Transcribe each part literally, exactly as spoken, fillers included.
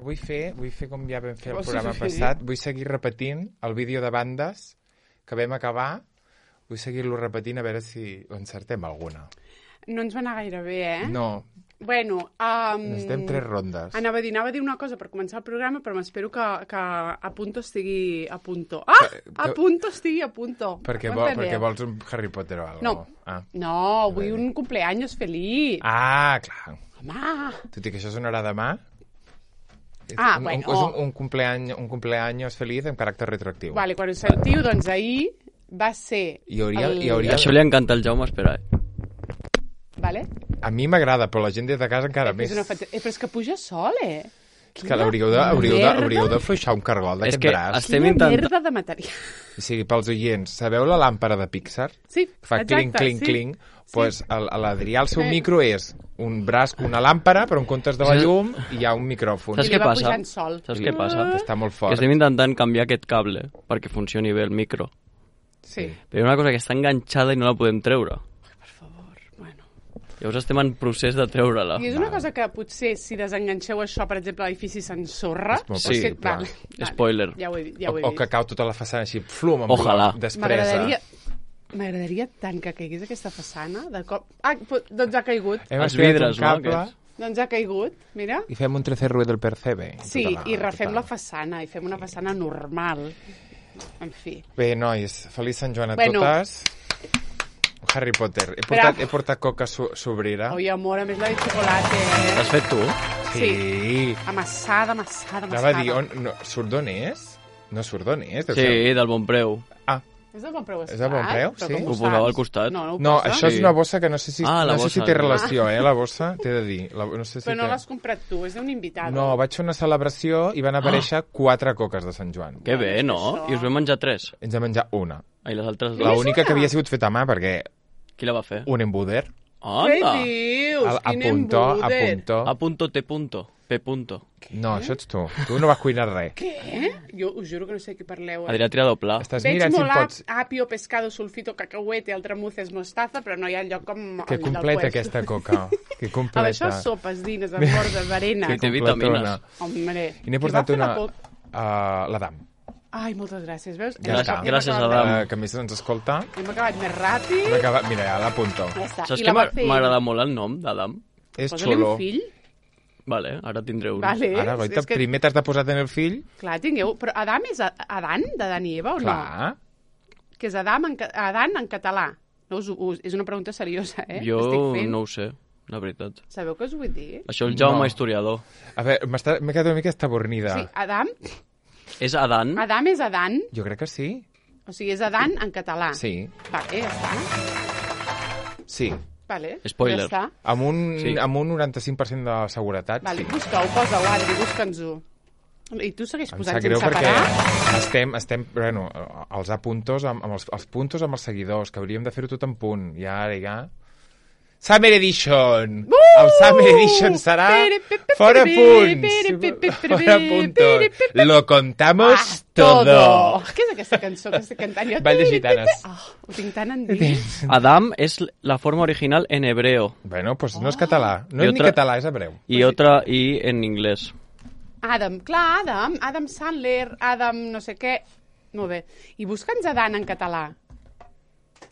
vull fer, vull fer com ja vam fer el programa passat, vull seguir repetint el vídeo de bandes que vam acabar, vull seguir-lo repetint a veure si encertem alguna. No ens va anar gaire bé, eh? No. Bueno, um, necessitem tres rondes. Anava a dir, anava a dir una cosa per començar el programa, però m'espero que, que a punto estigui a punto. Ah! Que, que... A punto estigui a punto. Perquè, vol, perquè vols un Harry Potter o alguna cosa? No, ah. no, vull un cumpleaños feliç. Ah, clar. Home! Tot i que això sonarà demà? Ah, un, bueno. Un, és un, un, cumpleaños, un cumpleaños feliç amb caràcter retroactiu. Vale, quan ho sentiu, doncs ahir va ser... I hauria, el... i hauria... Això li encanta al Jaume, espera, eh? Vale. A mi m'agrada, però la gent des de casa encara eh, més. És fat... eh, però és que puja sol, eh? És que l'hauríeu de, hauríeu de, hauríeu de fluixar un cargol d'aquest braç. Estem Quina intent... merda de material. O sigui, pels oients, sabeu la làmpara de Pixar? Sí, fa exacte. clink, clink, sí. clink. Doncs pues, sí. l'Adrià, el seu sí. micro és un braç, una làmpara, però en comptes de la llum hi ha un micròfon. Saps què passa? Sol. Saps què passa? Està molt fort. Que estem intentant canviar aquest cable perquè funcioni bé el micro. Sí. Però hi ha una cosa que està enganxada i no la podem treure. Llavors estem en procés de treure-la. I és una cosa que potser si desenganxeu això, per exemple, l'edifici s'ensorra. Sí, sí, clar. Vale, vale. Spoiler. Ja ho he dit. Ja ho he o, dit. o que cau tota la façana així, flum, amb Ojalà. despresa. M'agradaria tant que caigués aquesta façana. De cop... Ah, doncs ha caigut. Hem Els vidres, no? Aquests. Doncs ha caigut, mira. I fem un trece ruido del percebe. Sí, la, i refem tota. la façana, i fem una façana normal. En fi. Bé, nois, feliç Sant Joan a bueno. totes. Harry Potter. He portat, he portat coca so sobrera. Oi, amor, a més la de xocolata. Eh? L'has fet tu? Sí. sí. Amassada, amassada, amassada. Anava a dir, on, no, surt d'on és? No surt d'on és? Sí, ser... del Bonpreu. Ah. És del Bonpreu, és del Bonpreu, sí? Ho posava al costat. No, no, no això sí. és una bossa que no sé si, ah, no bossa, sé si té no. relació, eh, la bossa, t'he de dir. La, no sé si Però no té... l'has comprat tu, és d'un invitat. No, vaig fer una celebració i van aparèixer oh. quatre coques de Sant Joan. Que bé, no? I us vam menjar tres? Ens vam menjar una. I les altres La única que havia sigut feta a mà, perquè... Qui la va fer? Un embuder. Què dius? A, Quin punto, embuder? a punto. A punto, te punto. P punto. No, això ets tu. Tu no vas cuinar res. Què? Jo us juro que no sé qui parleu. Eh? Adrià Tirador Pla. Estàs Veig mirant molt si pots... apio, pescado, sulfito, cacahuete, altramuces, mostaza, però no hi ha lloc com que el completa aquesta coca. Que completa. A això sopes, dines, esmorzes, arenes. Que té vitamines. Hombre. I n'he portat una... Uh, l'Adam. Ai, moltes gràcies, veus? Ja gràcies, gràcies Adam. Uh, que a més ens escolta. Hem acabat més ràpid. Hem acabat... Mira, ja l'apunto. Ja està. Saps que m'agrada molt el nom d'Adam? És Posa-li xulo. un fill. Vale, ara tindré un. Vale, ara, goita, que... primer t'has de posar en el fill. Clar, tingueu... Però Adam és Adan, d'Adan i Eva, o Clar. no? Clar. Que és Adam en, Adan en català. No, us, us, és una pregunta seriosa, eh? Jo fent. no ho sé, la veritat. Sabeu què us vull dir? Això el Jaume no. historiador. A veure, m'he quedat una mica estabornida. Sí, Adam... És Adan? Adam és Adan. Jo crec que sí. O sigui, és Adan en català. Sí. Vale, ja està. Sí. Vale, spoiler. ja està. Amb un, sí. amb un noranta-cinc per cent de seguretat, vale, sí. Busca-ho, posa-ho, Adri, busca'ns-ho. I tu segueix posant sense perquè parar? estem, estem, bueno, els apuntos amb, amb els, els puntos amb els seguidors, que hauríem de fer-ho tot en punt. I ara, ja... Summer Edition! Uh! El Summer Edition serà fora punts! Fora puntos! Lo contamos ah, todo! Què és aquesta cançó que estic cantant? Vall de Gitanes. Oh, ho tinc tan endins. Adam és la forma original en hebreo. Bueno, pues no és català. No és ni català, és hebreu. I otra i en inglès. Adam, clar, Adam. Adam Sandler, Adam no sé què. Molt bé. I busca'ns Adan en català.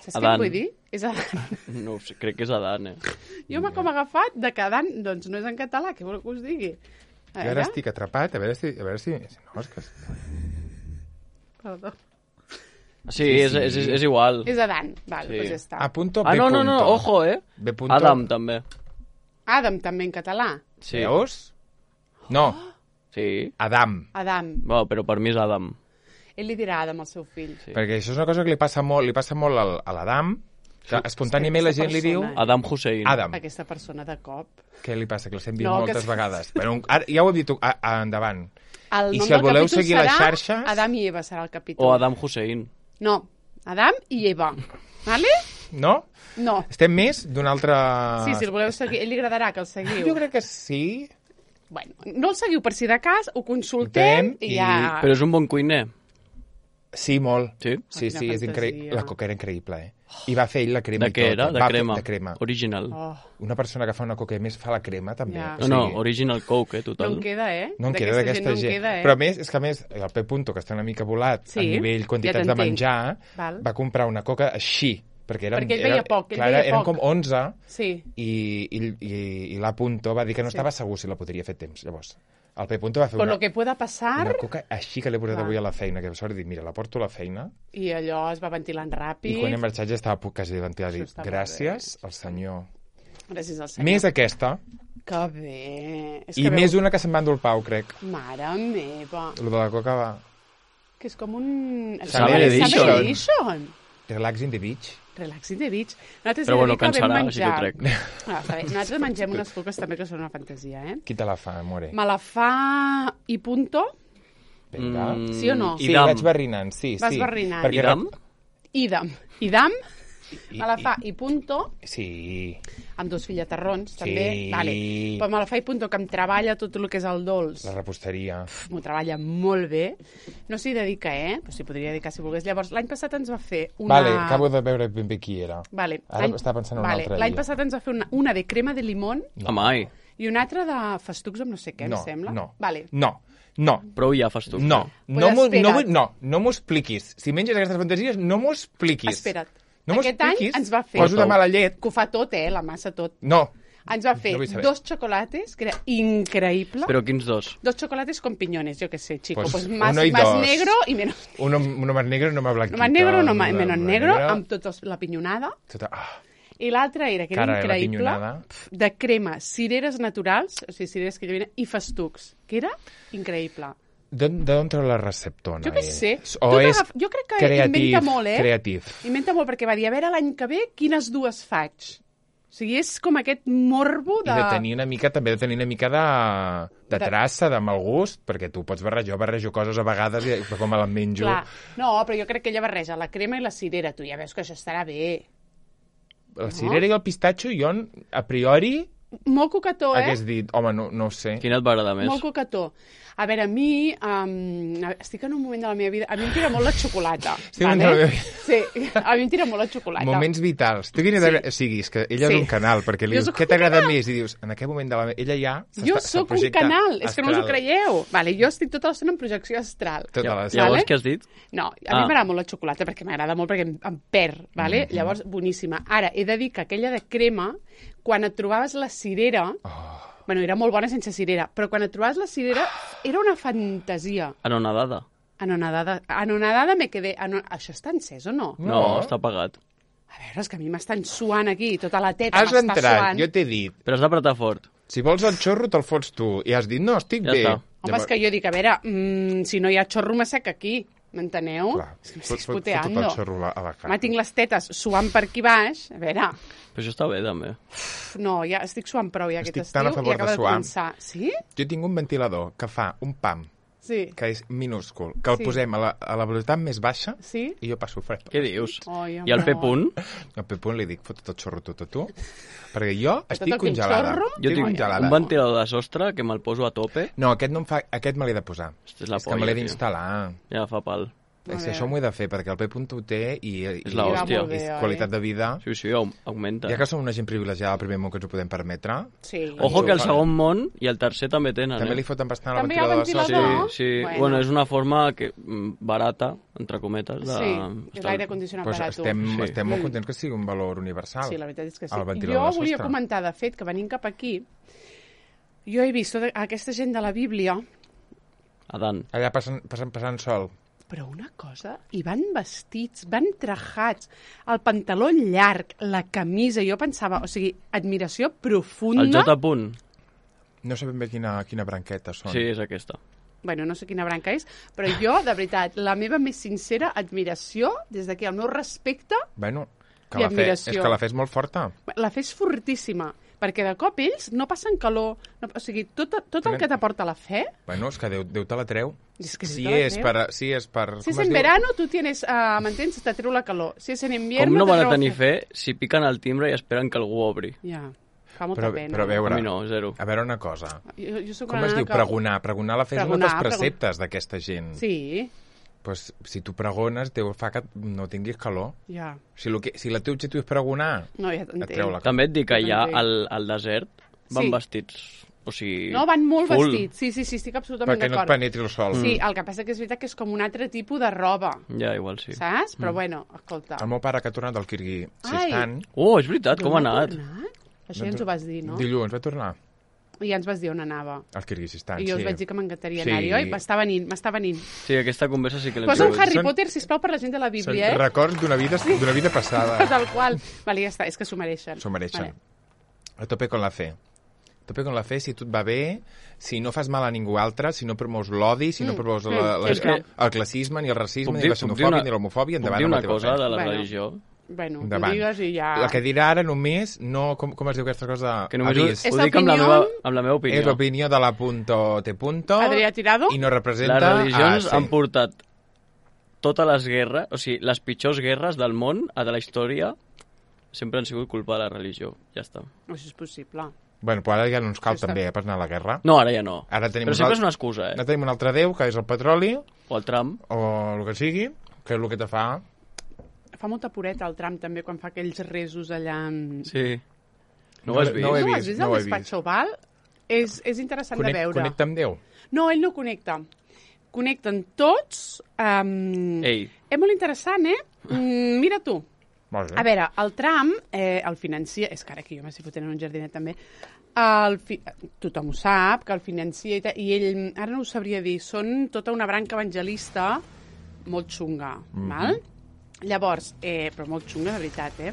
Saps què vull dir? És Adan. No sé, crec que és Adan, eh? Jo m'ha com agafat de que Adan doncs, no és en català, què vol que us digui? Jo ara estic atrapat, a veure si... A veure si... No, és que... Perdó. Sí, sí, és, és, és igual. És Adan, val, sí. Doncs ja està. A punto, B ah, no, no, no, punto. ojo, eh? B punto. Adam, també. Adam, també en català. Sí. Veus? No. Sí. Adam. Adam. Bueno, però per mi és Adam. Ell li dirà Adam al seu fill. Sí. Perquè això és una cosa que li passa molt, li passa molt al, a l'Adam, que espontàniament la gent persona, li diu... Adam Hussein. Adam. Aquesta persona de cop. Què li passa? Que l'estem dient no, moltes que... vegades. Però, ara, ja ho hem dit a, a, endavant. El I si el voleu seguir a les serà xarxes... Adam i Eva serà el capítol. O Adam Hussein. No, Adam i Eva. Vale? No? No. Estem més d'un altre... Sí, si el voleu seguir. Ell li agradarà que el seguiu. Jo crec que sí. Bueno, no el seguiu per si de cas, ho consultem i, i ja... Però és un bon cuiner. Sí, molt. Sí? Sí, sí, és increïble. La coca era increïble, eh? I va fer ell la crema De i què tot. era? De Va crema. Fer, de crema. Original. Oh, Una persona que fa una coca i a més fa la crema, també. Ja. No, no, original Coke, eh, no total. en queda, eh? No en queda D'aquesta d'aquesta gent. gent. No en queda, eh? Però a més, és que a més, el P. Punto, que està una mica volat Sí, a nivell ja quantitats de t'entenc. menjar, Val. va comprar una coca així, perquè eren, Perquè ell veia era, poc, ell clar, veia eren poc. com onze Sí. i, i, i, i l'A. Punto va dir que no Sí. estava segur si la podria fer temps. Llavors, el P. Punto va fer Con una, lo que pueda pasar, una coca així que l'he portat Va. avui a la feina, que sort dit, mira, la porto a la feina, i allò es va ventilant ràpid. i quan he marxat ja estava a punt quasi de ventilar. Això Dic, està molt gràcies al senyor. Gràcies al senyor. Més aquesta, Que bé. És i que més veu... una que se'n va endur el Pau, crec. Mare meva. Lo de la coca va... Que és com un... Summer Edition. Summer Edition. Relax in the beach. Relax in the beach. Nosaltres Però he de bueno, dir que vam cansarà, si menjar... t'ho trec. Ah, està bé. Nosaltres mengem unes coques també que són una fantasia, eh? Qui te la fa, more? Me la fa i punto. Vinga. Mm, Sí o no? Sí, Idam. vaig barrinant, sí, Vas sí. barrinant. Perquè Idam? Idam. Idam. I- Me la i- fa i punto, Sí. amb dos fillaterrons, Sí. també. Vale. Però me la fa i punto, que em treballa tot el que és el dolç. La reposteria. M'ho treballa molt bé. No s'hi dedica, eh? Però s'hi podria dedicar si volgués. Llavors, l'any passat ens va fer una... Vale, acabo de veure ben bé qui era. Vale. Ara L'any- estava pensant en una vale. altra. L'any ella. passat ens va fer una, una de crema de limón No. Amai, i una altra de festucs amb no sé què, no, em sembla. No, Vale. no, no. prou ja fas tu. No, Pues no, m'ho- no, espera't. vull- no, no m'ho expliquis. Si menges aquestes fantasies, no m'ho expliquis. Espera't. No m'ho Aquest any expliquis. ens va fer... Poso de mala llet. Que ho fa tot, eh? La massa tot. No. Ens va fer No vull saber. dos xocolates, que era increïble. Però quins dos? Dos chocolates con piñones, yo qué sé, chico. Pues Pues, más, uno y más dos. negro y menos... Uno, uno más negro, no más blanquito. Más negro, no más, Uno menos más negro, amb tot els- la pinyonada. Tota, ah, I l'altre era, que era cara de la increïble, pinyonada. de crema, cireres naturals, o sigui, cireres que llavinen, i festucs, que era increïble. D'on d'on treu la receptona? Jo què ell? sé. O Tot és agaf- jo crec que creativ, inventa molt, eh? creativ. Inventa molt, perquè va dir, a veure l'any que ve quines dues faig. O sigui, és com aquest morbo de... I de tenir una mica, també de tenir una mica de, de De- traça, de mal gust, perquè tu pots barrejar, jo barrejo coses a vegades i però com me les menjo... Clar. No, però jo crec que ella barreja la crema i la cirera. Tu ja veus que això estarà bé. La cirera i el pistatxo, jo, a priori, Molt coquetó, eh? hagués dit, home, no, no ho sé. Quina et va agradar més? Molt coquetó. A veure, a mi, um, estic en un moment de la meva vida... A mi em tira molt la xocolata. Estic en un moment de la meva Sí, a mi em tira molt la xocolata. Moments vitals. Tu quina sí. O sigui, és que ella Sí. és un canal, perquè li Jo dius, sóc què un t'agrada canal. més? I dius, en aquest moment de la... Ella ja... Jo s'està- sóc un projecta canal, és que no us ho astral. creieu. Vale, jo estic tota l'estona en projecció astral. Tota la... Llavors, Vale. què has dit? No, a Ah. mi m'agrada molt la xocolata perquè m'agrada molt perquè em, em perd, vale? Mhm. Mm -hmm. Llavors, boníssima. Ara, he de dir que aquella de crema, quan et trobaves la cirera... Oh. Bueno, era molt bona sense cirera, però quan et trobaves la cirera era una fantasia. Anonadada. Anonadada, anonadada me quedé... Ano... Això està encès o no? No, No. està apagat. A veure, és que a mi m'estan suant aquí, tota la teta Has m'està entrat, suant. jo t'he dit, Però has d'apretar fort. si vols el xorro te'l fots tu, i has dit, no, estic Ja bé. està. Home, és que jo dic, a veure, mm, si no hi ha xorro m'assec aquí, m'enteneu? Clar, És que fot- m'estic fot- fot tot el puteando. xorro a la- a la cara. Home, tinc les tetes suant per aquí baix, a veure... Però això està bé, també. Pf, no, ja estic suant prou ja Estic aquest tan a estiu favor i acaba de de, suar. començar. Sí? Jo tinc un ventilador que fa un pam, Sí. que és minúscul, que el Sí. posem a la, a la velocitat més baixa Sí? i jo passo fred. Què dius? Ai, I al amor. P-punt? Al Pepun li dic, fot tot el xorro tot a tu, perquè jo estic el que el congelada. xorro? Jo Estic tinc congelada. un ventilador de sostre que me'l poso a tope. No, aquest no em fa... Aquest me l'he de posar. Hosti, és la és que polla, me l'he tio. d'instal·lar. Ja fa pal. És que A això veure. m'ho he de fer, perquè el P. ho té i, i, És la i, hòstia. Va molt i bé, oi? qualitat de vida. Sí, sí, aug- augmenta. Ja que som una gent privilegiada al primer món que ens ho podem permetre, Sí. Ojo que el Fa- segon món i el tercer també tenen, també eh? li foten bastant al També hi ha ventilador. de ventilador? sostre. Sí, sí. Bueno. Bueno. és una forma que, mm, barata, entre cometes, de... Sí, és estar- l'aire condicionat Pues barat. estem, Sí. estem molt Mm. contents que sigui un valor universal. Sí, la veritat és que sí. El ventilador Jo de volia sostre. comentar, de fet, que venint cap aquí, jo he vist tota aquesta gent de la Bíblia, Adán. Allà passen, passen, passant sol. però una cosa, i van vestits, van trajats, el pantaló llarg, la camisa, jo pensava, o sigui, admiració profunda. El J punt. No sé ben bé quina, quina branqueta són. Sí, és aquesta. Bueno, no sé quina branca és, però jo, de veritat, la meva més sincera admiració, des d'aquí, el meu respecte, Bueno, que I la fe, admiració. és que la fe és molt forta. la fe és fortíssima, perquè de cop ells no passen calor, no, o sigui, tot, tot el Tenen- que t'aporta la fe, Bueno, és que Déu, Déu te la treu. És que Déu si, te la és treu. per, si és per... si és com es en diu? verano, tu tienes, uh, m'entens, te treu la calor. Si és en invierno... Com no te van a treu tenir fe. fe si piquen al timbre i esperen que algú obri? Ja, fa molta Però, pena. però a veure, A mi no, zero. a veure una cosa. Jo, jo soc Com una es nena diu? que... Pregonar. Pregonar la fe és un Pregonar, dels pregon- preceptes d'aquesta gent. Sí, pues, si tu pregones, Déu fa que no tinguis calor. Ja. Si, lo que, si la teu objectiu és pregonar, No, ja et t'entenc. treu la calor. També et dic que Jo ja t'entenc. al, al desert van Sí. vestits, o sigui... No, van molt full. vestits. Sí, sí, sí, estic absolutament Perquè no et d'acord. penetri el sol. Sí, el que passa que és veritat que és com un altre tipus de roba, Ja, igual sí. saps? Però bueno, escolta. El meu pare, que ha tornat del Kirguizistan, Oh, és veritat, com ha D'on anat? Això ja ens ho vas dir, no? dilluns va tornar I ja ens vas dir on anava. al Kirguizistan. I jo sí. us vaig dir que m'encantaria Sí. anar-hi, oi? M'està venint, m'està venint. Sí, aquesta conversa sí que l'hem Posa un tingut. Harry Són- Potter, sisplau, per la gent de la Són Bíblia, eh? records d'una vida, d'una vida passada. Tal qual. Vale, ja està, és que s'ho mereixen. S'ho mereixen. Vale. A tope con la fe. A tope con la fe, si tot va bé, si no fas mal a ningú altre, si no promous l'odi, si no Mm, promous mm, la, la, és que- el classisme, ni el racisme, Puc ni dir- la puc dir xenofòbia, una- ni l'homofòbia, Puc endavant dir amb la una teva cosa fe. de la Bueno. religió? Bueno, Endavant. ho digues i ja... La que dirà ara només, no, com, com es diu aquesta cosa? Que només ho, Avís. És ho dic amb la, opinió- meva, amb la meva opinió. És l'opinió de la punto te punto Adrià Tirado? i no representa... Les religions ah, sí. han portat totes les guerres, o sigui, les pitjors guerres del món, a de la història, sempre han sigut culpa de la religió. Ja està. Això és possible. Bueno, però ara ja no ens cal Això està- també eh, per anar a la guerra. No, ara ja no. Ara tenim Però un sempre alt- és una excusa, Ara eh? tenim un altre déu, que és el petroli, O el Trump. o el que sigui, que és el que te fa... Fa molta pureta el Trump també quan fa aquells resos allà... amb- Sí. No, No ho has he- vist? no ho he No ho has vist, vist no al ho he despatx oval? És, és interessant Conec, de veure. connecta amb Déu. No, ell no connecta. Connecten tots. Um, Ei. És molt interessant, eh? Mm, mira tu. Molt bé. A veure, el Trump, eh, el financia... És que ara aquí jo m'estic fotent en un jardinet també. El fi... Tothom ho sap, que el financia i, ta... i ell, ara no ho sabria dir, són tota una branca evangelista molt xunga, mm -hmm. val? Llavors, eh, però molt xunga, de veritat, eh?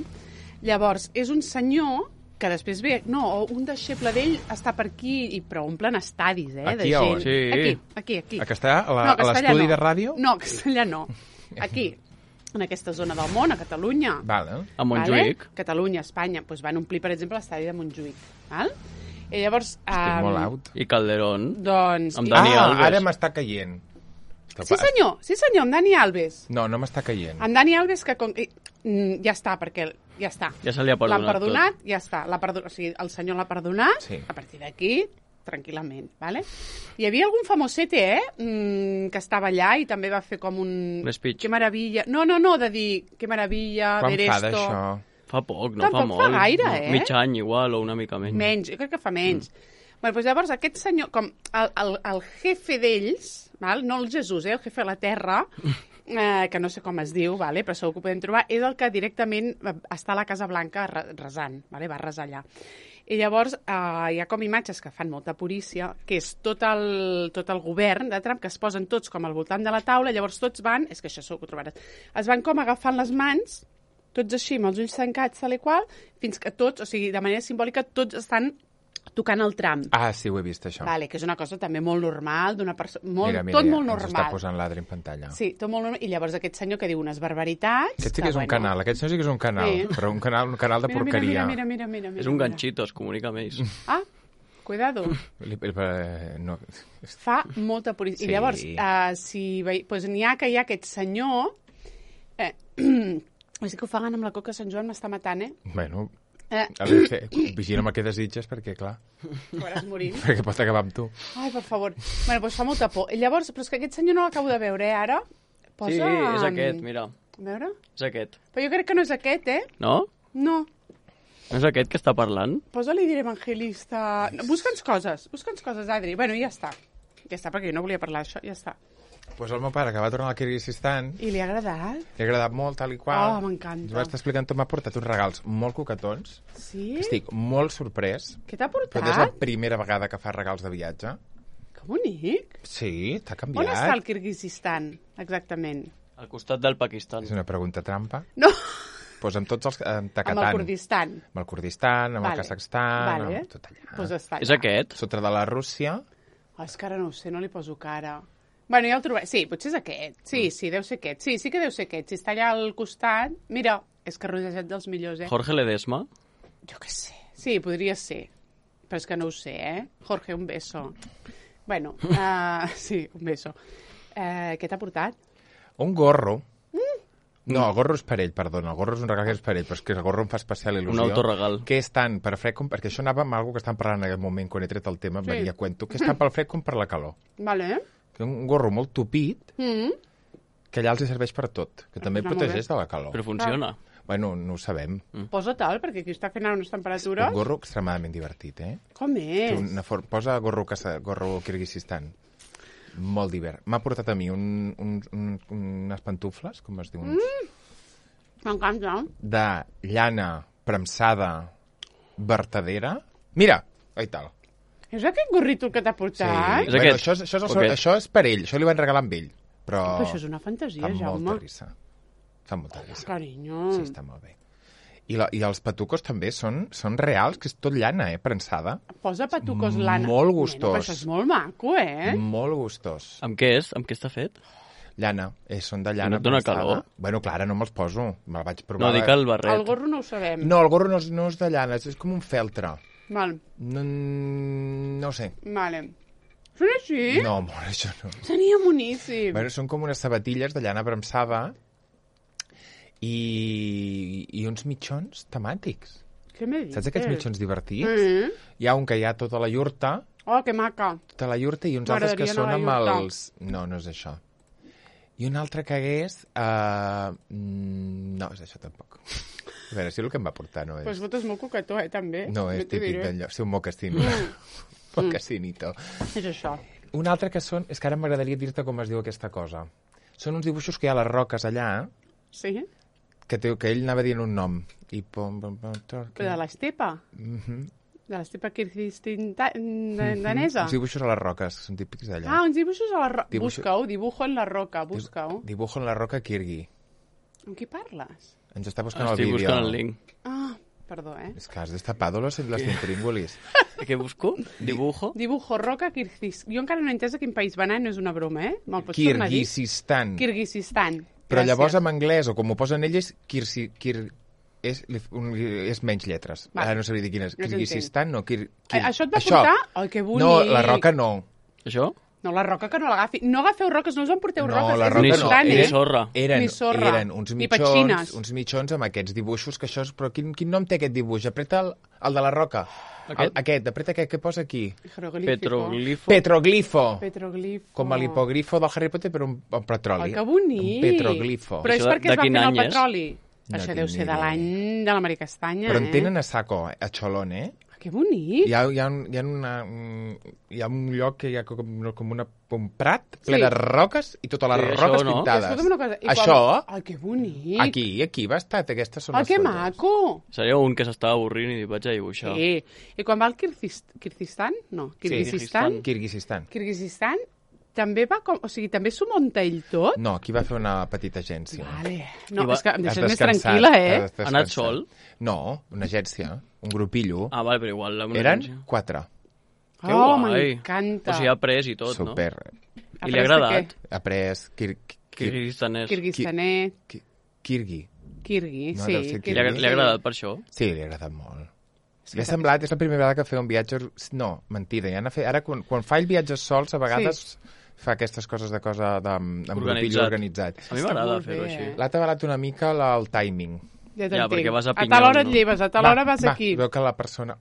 Llavors, és un senyor que després ve... No, un deixeble d'ell està per aquí, i però omplen estadis, eh? Aquí de a gent. on? Sí. Aquí, aquí, aquí. A Castellà, a la- No, a Castellà l'estudi no. de ràdio? No, a Castellà no. Aquí, en aquesta zona del món, a Catalunya. Vale. A Montjuïc. Vale? Catalunya, Espanya, doncs van omplir, per exemple, l'estadi de Montjuïc. Val? I llavors... Estic Um, molt out. I Calderón. doncs... Amb i- Dani ah, Alves. ara m'està caient. Sí, senyor, sí, senyor, amb Dani Alves. No, no m'està caient. Amb Dani Alves, que com... i- mm, ja està, perquè ja està. Ja se li ha perdonat L'han perdonat, ja està. L'ha perdo... O sigui, el senyor l'ha perdonat, Sí. a partir d'aquí, tranquil·lament, vale? Hi havia algun famosete, eh?, mm, que estava allà i també va fer com un... Un speech. Que meravilla. No, no, no, de dir, que meravilla, Quan ver fa esto... d'això? Fa poc, no Tampoc fa fa molt. gaire, No, eh? Mig any igual, o una mica menys. Menys, jo crec que fa menys. Mm. Bueno, doncs llavors aquest senyor, com el, el, el jefe d'ells, val? No el Jesús, eh? El jefe de la terra, eh, que no sé com es diu, vale? Però segur que ho podem trobar, és el que directament està a la Casa Blanca re- resant, vale? Va resar allà. I llavors eh, hi ha com imatges que fan molta purícia, que és tot el, tot el govern de Trump, que es posen tots com al voltant de la taula, llavors tots van, és que això segur que ho trobaràs, es van com agafant les mans, tots així, amb els ulls tancats, tal i qual, fins que tots, o sigui, de manera simbòlica, tots estan tocant el Trump. Ah, sí, ho he vist, això. Vale, que és una cosa també molt normal, d'una persona... Molt, mira, mira, tot ja, molt ens està normal. posant l'Adri en pantalla. Sí, tot molt normal. I llavors aquest senyor que diu unes barbaritats... Aquest sí que és un canal, aquest sí que és un canal, Sí. però un canal, un canal de Mira, mira, porqueria. mira, mira, mira, mira, És un mira. ganxito, es comunica amb ells. Ah, cuidado. Li- eh, no. Fa molta purista. Sí. I llavors, uh, si vei... pues n'hi ha que hi ha aquest senyor... Eh, és que ho fan amb la coca Sant Joan m'està matant, eh? Bueno, eh a veure, que, vigila'm el que desitges, perquè, clar, Acabaràs morint. perquè pot acabar amb tu. Ai, per favor. Bueno, doncs fa molta por. I llavors, però és que aquest senyor no l'acabo de veure, eh, ara. Posa... Sí, és aquest, mira. A veure? És aquest. Però jo crec que no és aquest, eh? No? No. No és aquest que està parlant? Posa-li dir evangelista... No, busca'ns coses, busca'ns coses, Adri. Bueno, ja està. Ja està, perquè jo no volia parlar d'això, ja està. Doncs pues el meu pare, que va tornar al Kirguizistan, I li ha agradat? li ha agradat molt, tal i qual. Oh, m'encanta. Ens va estar explicant tot, m'ha portat uns regals molt coquetons. Sí? Estic molt sorprès, Què t'ha però és la portat? primera vegada que fa regals de viatge. Que bonic. Sí, t'ha On canviat. està el Kirguizistan, exactament? Al costat del Pakistan. És una pregunta trampa. No, Pues amb tots els... Amb Takatan. amb el Kurdistan. Amb el Kurdistan, amb Vale. el Kazakhstan, Vale. amb tot allà. Pues està allà. És aquest? Sota de la Rússia. Oh, és que ara no ho sé, no li poso cara. Bueno, ja el trobaré. Sí, potser és aquest. Sí, sí, deu ser aquest. Sí, sí que deu ser aquest. Si està allà al costat... Mira, és que rodejat dels millors, eh? Jorge Ledesma? Jo què sé. Sí, podria ser. Però és que no ho sé, eh? Jorge, un beso. Bueno, uh, sí, un beso. Uh, què t'ha portat? Un gorro. Mm. No, el gorro és per ell, perdona. El gorro és un regal que és per ell, però és que el gorro em fa especial il·lusió. Un autoregal. Que és tant per fred com... Perquè això anava amb algo que estan parlant en aquest moment, quan he tret el tema, Sí. sí. venia a cuento, que és tant pel fred com per la calor. Vale. Un gorro molt tupit, Mm. que allà els hi serveix per tot, que també Ah, molt protegeix de la calor. Però funciona. Bueno, no ho sabem. Posa tal, perquè aquí està fent ara unes temperatures. Un gorro extremadament divertit, eh? Com Té és? Una for... Posa gorro, casa... gorro Kirguizistan. Molt divert. M'ha portat a mi un, un, un, unes pantufles, com es diu? Uns... Mm. M'encanta. De llana premsada vertadera. Mira! Ai, tal. És aquest gorrito que t'ha portat? És Bueno, aquest? això, és, això, és el, O seu- aquest? això és per ell. Això li van regalar amb ell. Però, Però això és una fantasia, fa molta Jaume. risa. Fa molta risa. Carinyo. Sí, està molt bé. I, la, i els patucos també són, són reals, que és tot llana, eh, prensada. Posa patucos lana. Molt gustós. Bueno, però això és molt maco, eh? Molt gustós. Amb què és? Amb què està fet? Llana, eh, són de llana No et dona prensada. calor? Bueno, clar, ara no me'ls poso. Me'l vaig provar. No, dic el barret. El gorro no ho sabem. No, el gorro no és, no és de llana, és, és com un feltre. Val, No, no ho sé. vale. Són així? No, amor, això no. Seria boníssim. Bueno, són com unes sabatilles de llana premsada i, i uns mitjons temàtics. Què me dius? Saps aquests mitjons divertits? Mm. Hi ha un que hi ha tota la iurta, Oh, que maca. tota la iurta i uns altres que M'agradaria són anar a amb la iurta. els... No, no és això. I un altre que hagués... Uh... No, és això tampoc. A veure, si el que em va portar no és... Pues votes molt coquetó, eh, també. No, és t'ho típic diré. d'allò. Sí, un mocasín. Mocasínito. És això. Un altre que són... És que ara m'agradaria dir-te com es diu aquesta cosa. Són uns dibuixos que hi ha a les roques allà, Sí? que, té, que ell anava dient un nom. I pom, pom, pom, tor- Però de l'estepa. Mhm. De l'estepa kirguistanesa. Uns dibuixos a les roques, són típics d'allà. Ah, uns dibuixos a la roca. Dibuixo- Busca-ho, dibujo en la roca, busca-ho. Dibujo en la roca Kirgui. Amb qui parles? Ens està buscant Estic el vídeo. buscant el link. Ah, perdó, eh? És que has destapado los, los intríngulis. Què busco? Dibujo? Dibujo roca Kirguis. Jo encara no he entès a quin país va anar, no és una broma, eh? Me'l pots tornar a dir? Kirguizistan. Kirguizistan. Però Gràcies. llavors en anglès, o com ho posen ells, Kirsi, Kir, és, un, és menys lletres. Va. Ara no sabria dir quin és. No Kirguizistan, no. Kir, Eh, Kir, Això et va portar? Ai, que bonic. No, la roca no. Això? No, la roca que no l'agafi. No agafeu roques, no us en porteu No, roques. la és roca Ni, no. so important, ni eh? sorra. Eren, Ni sorra, eren uns ni mitjons, petxines. uns mitjons amb aquests dibuixos que això és... Però quin, quin nom té aquest dibuix? Apreta el, el de la roca. Aquest? El, aquest, apreta aquest que posa aquí. Jeroglífico. Petroglifo. Petroglifo. Petroglifo. Com a l'hipogrifo del Harry Potter, però un, un petroli. Ai, que bonic. Un petroglifo. Però és Això de- perquè es de va quin fent el any és? petroli. No Això tinc deu ni ser de idea. l'any de la Mari Castanya, Però en eh? tenen a saco, a Cholón, eh? Ah, que bonic. Hi ha, hi ha, un, hi ha, una, un, hi ha un lloc que hi ha com, com una, un prat ple Sí. de roques i totes les Sí, això roques no. pintades. Escolta'm una cosa. i quan- Això, Ai, que bonic. aquí, aquí va estar, aquestes són Ai, les que fotos. maco. Seria un que s'estava avorrint i vaig a dibuixar. Sí. I quan va al Kirguis- Kirguizistan? No, Kirguizistan. Kirguizistan. Kirguizistan també va com... O sigui, també s'ho munta ell tot? No, aquí va fer una petita agència. Vale. No, I va- és que em Has deixes més descansat, tranquil·la, eh? has descansat. Ha anat sol? No, una agència, un grupillo. Ah, vale, però igual... Amb una Eren agència. quatre. Que Oh, guai. m'encanta. O sigui, ha après i tot, Super. no? Ha I li ha après de agradat? què? Ha pres Kir, Kir, Kirguistanès. Kirguistanès, Ki- Kirgui. Kirgui, No, sí. deu ser Li ha, Kirgui. li ha agradat per això? Sí, li ha agradat molt. És Li ha que semblat, és la primera vegada que feia un viatge... No, mentida, ja n'ha fet... Ara, quan, quan fa el viatge sols, a vegades fa aquestes coses de cosa de, amb grupillo Organitzat. organitzat. A mi Està m'agrada molt fer-ho bé, així. eh? L'ha tabalat una mica la, el timing. Ja Ja, t'entenc. perquè vas a A tal Pinyol, hora et no? lleves, a tal hora vas va, aquí. Veu que la persona...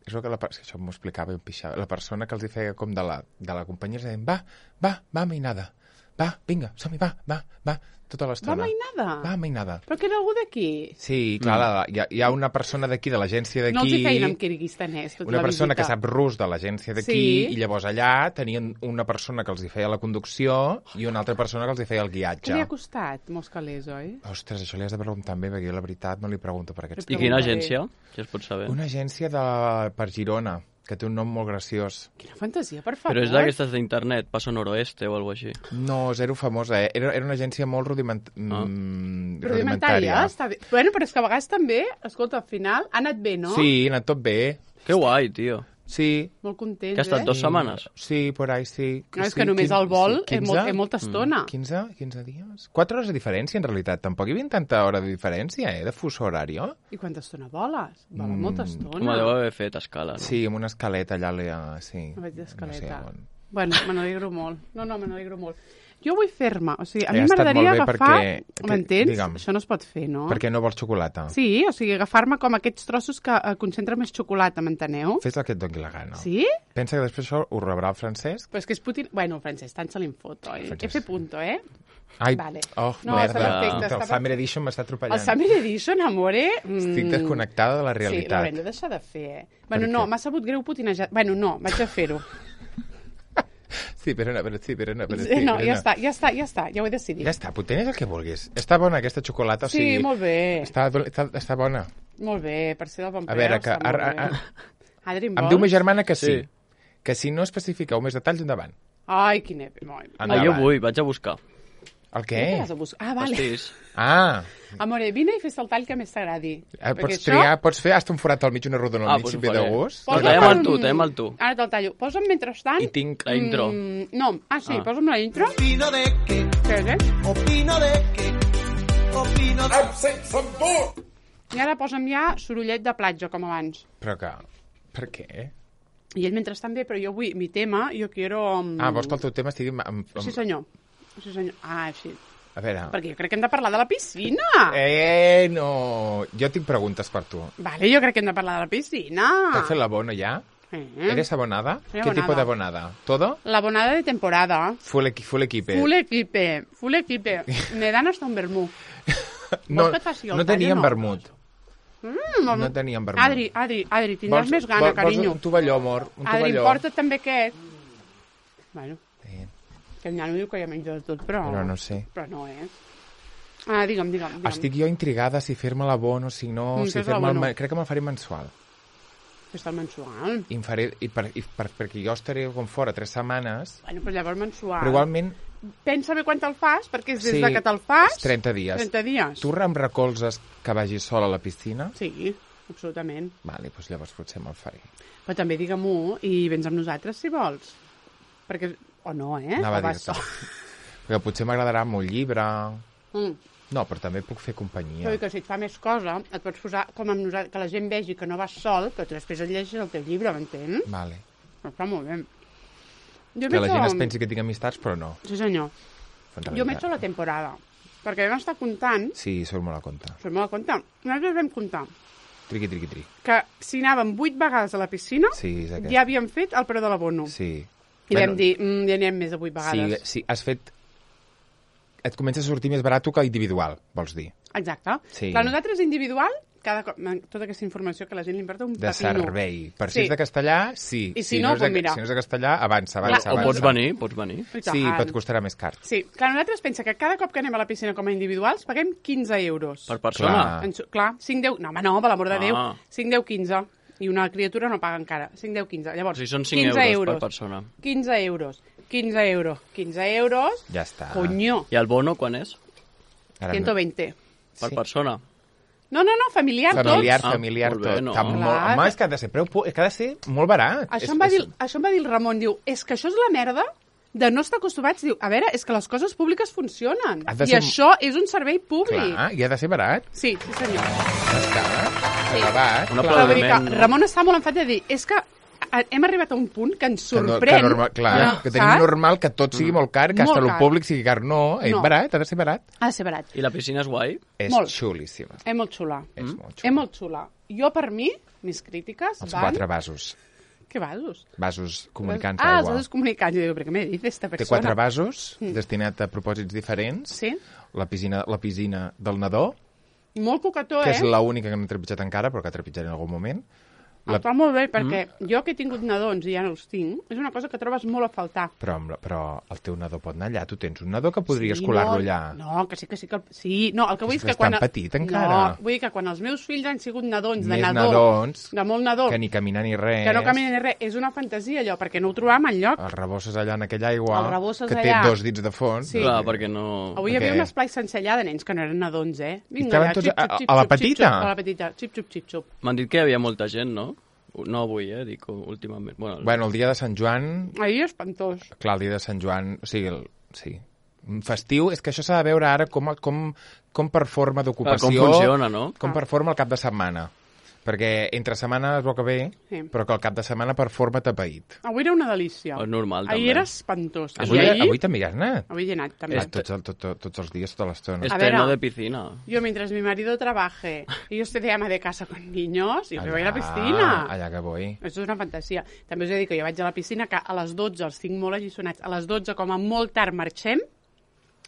És veu que la, per- això m'ho explicava i em pixava. La persona que els hi feia com de la, de la companyia, els deien, va, va, va, mainada. Va, vinga, som-hi, va, va, va, tota Va l'estona. mainada. Va, mainada. Però que era algú d'aquí. Sí, clar, la, hi, ha, hi ha una persona d'aquí, de l'agència d'aquí... No els hi feien amb kirguistanès, tota una la persona visita. que sap rus de l'agència d'aquí, Sí. i llavors allà tenien una persona que els hi feia la conducció i una altra persona que els hi feia el Què guiatge. li ha costat, molts calés, oi? Ostres, això li has de preguntar bé, perquè jo la veritat no li pregunto per aquests I Preguntaré. quina agència? Si es pot saber. Una agència de, per Girona, que té un nom molt graciós. Quina fantasia, per favor. Però és d'aquestes d'internet, Paso Noroeste o alguna així. No, zero famosa, eh? Era, era una agència molt rudiment... Ah. mm, Rudimentària, està bé. Bueno, però és que a vegades també, escolta, al final ha anat bé, no? Sí, ha anat tot bé. Que guai, tio. Sí, Molt contents, Que ha estat eh? dos setmanes. sí, por ahí sí. No, és sí, que només quin- el vol sí, és, molt, és molta estona. quinze, quinze dies? quatre hores de diferència, en realitat. Tampoc hi havia tanta hora de diferència, eh, de fuso horari. I quanta estona voles? Vola Mm. molta estona. Com deu haver fet escala, no? Sí, amb una escaleta allà, allà sí. No vaig d'escaleta. No sé on. Bueno, me n'alegro molt. No, no, me n'alegro molt. Jo vull fer-me, o sigui, a Ha mi estat m'agradaria molt bé agafar... perquè- M'entens? digue'm. Això no es pot fer, no? Perquè no vols xocolata? Sí, o sigui, agafar-me com aquests trossos que eh, concentren més xocolata, m'enteneu? Fes el que et doni la gana. Sí? Pensa que després això ho rebrà el Francesc. Però és que és Putin... Bueno, Francesc, tant se li en fot, oi? Francesc. F punto, eh? Ai, Vale. oh, No, merda. està perfecte, El està Summer Edition m'està atropellant. El Summer Edition, amore... Mm, Estic desconnectada de la Sí, realitat. l'haurem de deixar de fer, eh? Bueno, Per no, què? m'ha sabut greu putinejar... Bueno, no, vaig a fer-ho. Sí, però no, però sí, però no, però sí. Sí, no, però ja està, ja està, ja està, ja ho he decidit. Ja està, potent és el que vulguis. Està bona aquesta xocolata, o Sí, sigui... molt bé. Està, està, està bona. Molt bé, per ser del bon A preu, veure, que... està molt Ar, bé. ar, Adri, em em diu ma vols? germana que sí. Sí. Que si no especifiqueu més detalls, endavant. Ai, quin ep... Molt... Ah, Endavant. jo vull, vaig a buscar. El què? Què vas a buscar? Ah, vale. Pastís. Ah, Amore, vine i fes el tall que més t'agradi. eh, Perquè pots això- triar, pots fer hasta un forat al mig, una rodona al Ah, mig, pues si ho ve de faré. gust. No, Posa tallam per el tu, un- tallam el tu. Ara te'l tallo. Posa'm mentrestant... I tinc la intro. Mm, no, ah, sí, Ah. posa'm la intro. Opino de que, Què és, eh? opino de que, opino de... I ara posa'm ja sorollet de platja, com abans. Però que... Per què? I ell mentrestant bé, però jo vull... Mi tema, jo quiero... mm, Ah, vols que el teu tema estigui... Amb, amb... Sí, senyor. Sí, senyor. Ah, sí. A veure... Perquè jo crec que hem de parlar de la piscina. Eh, no... Jo tinc preguntes per tu. Vale, jo crec que hem de parlar de la piscina. ¿T'has fet l'abono ja? Eh. ¿Eres abonada? Soy ¿Qué tipo abonada. de abonada? ¿Todo? La bonada de temporada. Full, equi full equipe. Full equipe, full equipe. Me dan hasta un vermú. no, vols que et faci el no tall o teníem no? vermut. Mm, No teníem vermut. Adri, Adri, Adri, tindràs més gana, carinyo. un tovalló, amor. Un Adri, tovalló. porta també aquest. Bueno, Sí, que el nano diu que ja menja de tot, però... però no sé. Però no, eh? Ah, digue'm, digue'm. digue'm. Estic jo intrigada si fer-me l'abono, si no... Mm, si fes fer-me el... l'abono. me- Crec que me'l faré mensual. Fes-te el mensual. I, em faré, i, per, i per, perquè jo estaré com fora tres setmanes, Bueno, però llavors mensual. però igualment Pensa bé quan te'l fas, perquè és des Sí, de que te'l fas... és trenta dies. trenta dies. tu em recolzes que vagi sol a la piscina? Sí, absolutament. Vale, doncs llavors potser me'l faré. Però també digue-m'ho i vens amb nosaltres, si vols. Perquè... O no, eh? Anava o a vas dir-te. sol. Perquè potser m'agradarà molt llibre... Mm. No, però també puc fer companyia. Però que si et fa més cosa, et pots posar com amb nosaltres, que la gent vegi que no vas sol, però tu després et llegeixes el teu llibre, m'entens? Vale. Però està molt bé. Jo Que la m'he gent hecho- es pensi que tinc amistats, però no. Sí, senyor. En Jo realitat. m'he hecho la temporada. Perquè vam estar comptant, Sí, surt molt a compte. fem la compte, nosaltres vam comptar Triqui, triqui, tri. que si anàvem vuit vegades a la piscina, Sí, és aquest. ja havíem fet el preu de l'abono. Sí. I vam dir, mm, ja anirem més de vuit Sí, vegades. sí, has fet... Et comença a sortir més barat que individual, vols dir. Exacte. Sí. Clar, nosaltres individual, cada cop, tota aquesta informació que la gent li importa un De pepino. servei. Per si Sí. és de castellà, sí. I si no, és de, doncs mira. si no és de castellà, avança, avança, Clar, O avança. pots venir, pots venir. I Sí, tant. però et costarà més car. Sí, clar, nosaltres pensa que cada cop que anem a la piscina com a individuals paguem quinze euros. Per persona. Clar. En, su- clar, cinc, deu... No, home, no, per l'amor de Ah. Déu. cinc, deu, quinze. I una criatura no paga encara. cinc, deu, quinze. Llavors, O sigui, són cinc quinze euros per persona. quinze euros. quinze euros. quinze euros. Ja està. Coño. I el bono quan és? Ara ciento veinte. Per Sí. persona. No, no, no, familiar, Familiar, tots. Ah, familiar, molt bé, tot. no? Està molt... Clar. Home, és que ha de ser preu... pu- És que ha de ser molt barat. Això És- em, va és- dir, això em va dir el Ramon, diu, és que això és la merda de no estar acostumats. Diu, a veure, és que les coses públiques funcionen. Ha de I ser- això és un servei públic. Clar, i ha de ser barat. Sí, sí, senyor. Ja està. Sí. Acabat. Una clar. Però vull dir que Aplaudiment. Ramon està molt enfadat de dir, és que a- hem arribat a un punt que ens Que no- sorprèn. Que, normal, clar, Ja, que tenim saps? normal que tot sigui molt car, que Molt hasta el car. públic sigui car. No, és No. barat, ha de ser barat. Ha de ser barat. I la piscina és guai? És Molt. xulíssima. És molt xula. És molt És xula. molt xula. Jo, per mi, mis crítiques Els van... quatre vasos. Què vasos? Vasos comunicants Ah, els aigua. vasos comunicants. Jo dic, però què m'he dit esta Té persona? quatre vasos destinats a propòsits diferents. Sí? La piscina, la piscina del nadó, Molt coquetó, que eh? és l'única que no he trepitjat encara, però que trepitjaré en algun moment. La... Està molt bé, perquè mm. jo que he tingut nadons i ja no els tinc, és una cosa que trobes molt a faltar. Però, amb la- però el teu nadó pot anar allà. Tu tens un nadó que podries Sí, colar-lo no, allà. No, que sí, que sí. Que... Sí, no, el que vull És és que que quan... és tan petit, encara. No, vull dir que quan els meus fills han sigut nadons, de Més nadó, nadons de molt nadó, Que ni caminar ni res. que no caminen ni res, és una fantasia allò, perquè no ho trobàvem enlloc. Els rebosses allà en aquella aigua, Els rebosses que té allà. dos dits de fons. Sí. Clar, perquè no... Avui hi havia Què? un esplai sencer allà de nens que no eren nadons, eh? Vinga, estaven allà, tots xip, a- xup, xip, a la xup, xip, petita? xup, A la petita, xip, xup, xip, xup. M'han dit que hi havia molta gent, no? No avui, eh? Dic últimament. Bueno, Bueno, el dia de Sant Joan, Ahir espantós. clar, el dia de Sant Joan, o sigui, el, sí, un festiu, és que això s'ha de veure ara com, com, com per forma d'ocupació... Clar, com funciona, no? Com per forma el cap de setmana. Perquè entre setmana es veu que bé, Sí. però que el cap de setmana per forma tapaït. Avui era una delícia. És normal, Ahir també. era espantós. Avui, I ahir, avui també hi has anat? avui hi he anat, també. Ah, tots, el, tot, tot, tots els dies, tota l'estona. És A veure. terno de piscina. Yo, mientras mi marido trabaje y yo esté de ama de casa con niños, yo me voy a la piscina. Allà que vull. Això és una fantasia. També us he de dir que jo vaig a la piscina, que a les dotze els tinc molt alliçonats. A les dotze, com a molt tard, marxem.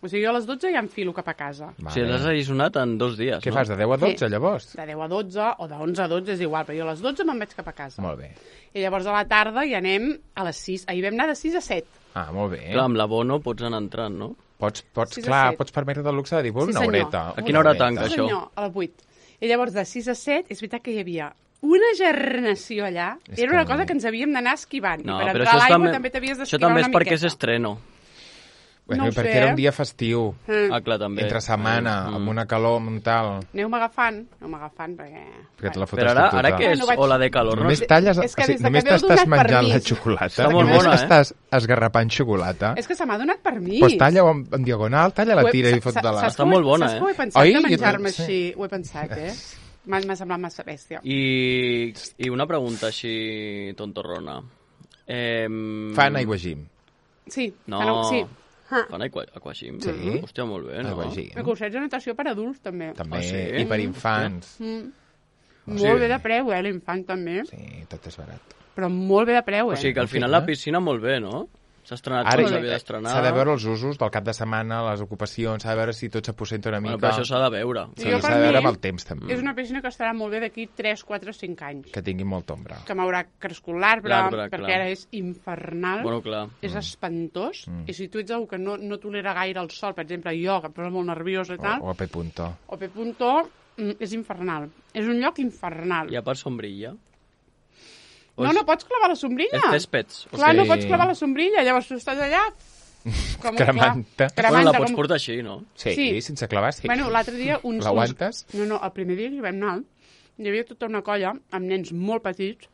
O sigui, jo a les dotze ja enfilo cap a casa. O sigui, l'has allisonat en dos dies, Què no? fas, de deu a dotze, Sí. llavors? De deu a dotze o de onze a dotze és igual, però jo a les dotze me'n vaig cap a casa. Molt bé. I llavors a la tarda hi anem a les sis. Ahir vam anar de sis a set. Ah, molt bé. Clar, amb l'abono pots anar entrant, no? Pots, pots, sis a clar, set. pots permetre el luxe de dir, bueno, Sí, una senyor. horeta. A una quina hora horeta. tanca, Sí, això? senyor, a les vuit. I llavors de sis a set és veritat que hi havia una gernació allà. És Era una que- cosa que ens havíem d'anar esquivant. No, I per però entrar això a l'aigua també, també t'havies això d'esquivar també una és perquè és miqueta. estreno. Bueno, No ho perquè sé, era eh? un dia festiu, Mm. Ah, clar, també. entre setmana, Mm. amb una calor, amb un tal... Aneu-me agafant, aneu-me agafant, perquè... Perquè te la fotes Però ara, tota. ara que és Bueno, vaig- ola de calor, no? Només talles... És que o sigui, des de que només m'heu t'estàs donat menjant la permís. xocolata, Està molt només bona, eh? estàs esgarrapant xocolata, És que se m'ha donat permís. doncs talla-ho en, en diagonal, talla-la, Ho he- tira i sa- fot sa- de la... saps Està que ho he- molt bona, Saps que ho eh? he pensat Oi? de Jo menjar-me també, així? Ho he pensat, eh? M'ha m'ha semblat massa bèstia. I, I una pregunta així tontorrona. Eh, Fan aiguagim. Sí. No. Fan, sí. Ah. Fan aqua, aquagym? Sí. Hòstia, molt bé, no? Aiguagim. El cursets de natació per adults, també. També, Ah, sí? i per infants. Mm. Sí. Molt bé de preu, eh, l'infant també. Sí, tot és barat. Però molt bé de preu, eh? O sigui que al final la piscina molt bé, no? S'ha estrenat Ara com ja- s'havia d'estrenar. s'ha de veure els usos del cap de setmana, les ocupacions, s'ha de veure si tot s'aposenta una mica. Bueno, però això s'ha de veure. Sí, Jo, per s'ha de veure mi, amb el temps, també. És una piscina que estarà molt bé d'aquí tres, quatre, cinc anys. Que tingui molta ombra. Que m'haurà crescut l'arbre, L'arbre, perquè clar. ara és infernal. Bueno, clar. És espantós, Mm. i si tu ets algú que no, no tolera gaire el sol, per exemple, jo, que em posa molt nerviosa i tal, O, o a P. Punto. o P. Punto, mm, és infernal. És un lloc infernal. Hi ha per sombrilla? No, no pots clavar la sombrilla. És cèspeds. O Clar, sigui, no pots clavar la sombrilla, llavors tu estàs allà... Com, Cremant-te. clar, Bueno, la cremant-te, pots com- portar així, no? Sí, Sí. sense clavar, sí. Bueno, l'altre dia uns... L'aguantes? uns- No, no, el primer dia que hi vam anar, hi havia tota una colla amb nens molt petits,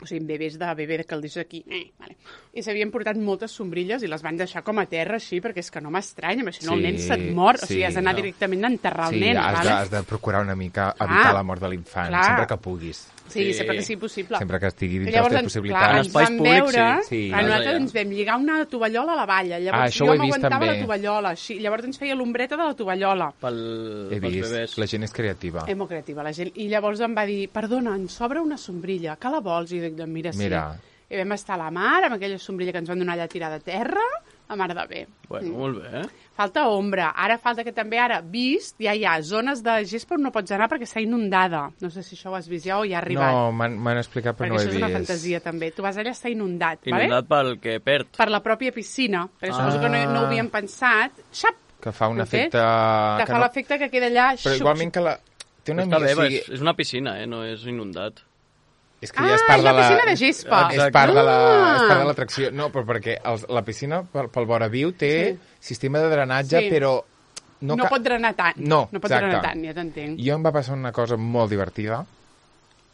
o sigui, amb bebès de bebè que el dius aquí, eh, vale. I s'havien portat moltes sombrilles i les van deixar com a terra així, perquè és que no m'estranya, perquè si no el Sí, nen se't mor, o sí, sigui, has d'anar no. directament a enterrar el Sí, nen, has, vale? de, has de procurar una mica evitar Ah, la mort de l'infant, clar. sempre que puguis. Sí, Sí. sempre que sigui possible. Sempre que estigui I dins de les llavors, teves ens, clar, possibilitats. En ens espais vam públics, veure, sí. Sí, a nosaltres allà. ens vam lligar una tovallola a la valla, llavors Ah, això jo ho he vist, m'aguantava també. la tovallola, així, llavors ens feia l'ombreta de la tovallola. Pel, He pels vist, bebès. la gent és creativa. És molt creativa, la gent. I llavors em va dir, perdona, ens sobra una sombrilla, que la vols? I dic, doncs mira, sí. Mira. I vam estar a la mar, amb aquella sombrilla que ens van donar allà tirada a terra, a mar de bé. Bueno, Mm. molt bé, eh? Falta ombra. Ara falta que també, ara, vist, ja hi ha zones de gespa on no pots anar perquè està inundada. No sé si això ho has vist ja o ja ha arribat. No, m'han m'han explicat, però perquè no ho he això és una vist. fantasia, també. Tu vas allà, està inundat, Inundat pel que perd. per la pròpia piscina, perquè suposo que no, no ho havien pensat. Xap! Que fa un Ho he fet? efecte... Que que fa no- l'efecte que queda allà... Però xup, igualment que la... Té una Està bé, mica, o sigui, és, és una piscina, eh? No és inundat. és que ja Ah, és part és de la la... piscina de gespa. És part de la- Ah. és part de l'atracció. No, però perquè els, la piscina pel, pel vora viu té Sí. sistema de drenatge, Sí. però... No, No, no ca- pot drenar tant. No, no pot exacte. drenar tant, ja t'entenc. Jo em va passar una cosa molt divertida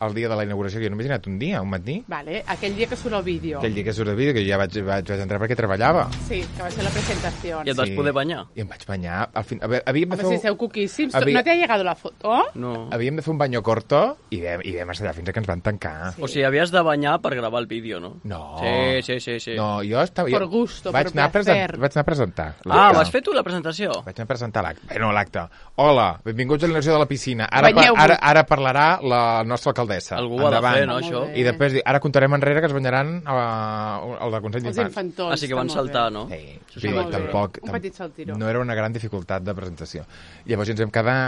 el dia de la inauguració, que jo només he anat un dia, un matí. Vale, aquell dia que surt el vídeo. Aquell dia que surt el vídeo, que jo ja vaig, vaig, vaig entrar perquè treballava. Sí, que va ser la presentació. I et vas Sí. poder banyar? I em vaig banyar. Al fin... A veure, havíem de Home, fer... si esteu coquíssims. Havia- No t'ha llegat la foto? No. Havíem de fer un banyo corto i vam, i vam estar allà fins que ens van tancar. O sigui, havies de banyar per gravar el vídeo, no? No. Sí, sí, sí. sí. No, jo estava... Por jo gusto, vaig por anar a placer. present, Vaig anar a presentar. Ah, l'acte. vas fer tu la presentació? Vaig anar a presentar l'acte. Bueno, l'acte. Hola, benvinguts a l'inauguració de la piscina. Ara, pa, Banyeu-vos. ara, ara parlarà la nostra alcaldessa. Algú ho ha de Endavant. fer, no, Molt això? bé. I després, dir, ara contarem enrere que es banyaran uh, el de Consell Els d'Infants. infantons. Ah, sí que van està molt saltar, bé. no? Sí, Està sí, molt bé. tampoc... Un petit saltiró. No era una gran dificultat de presentació. Llavors ens vam quedar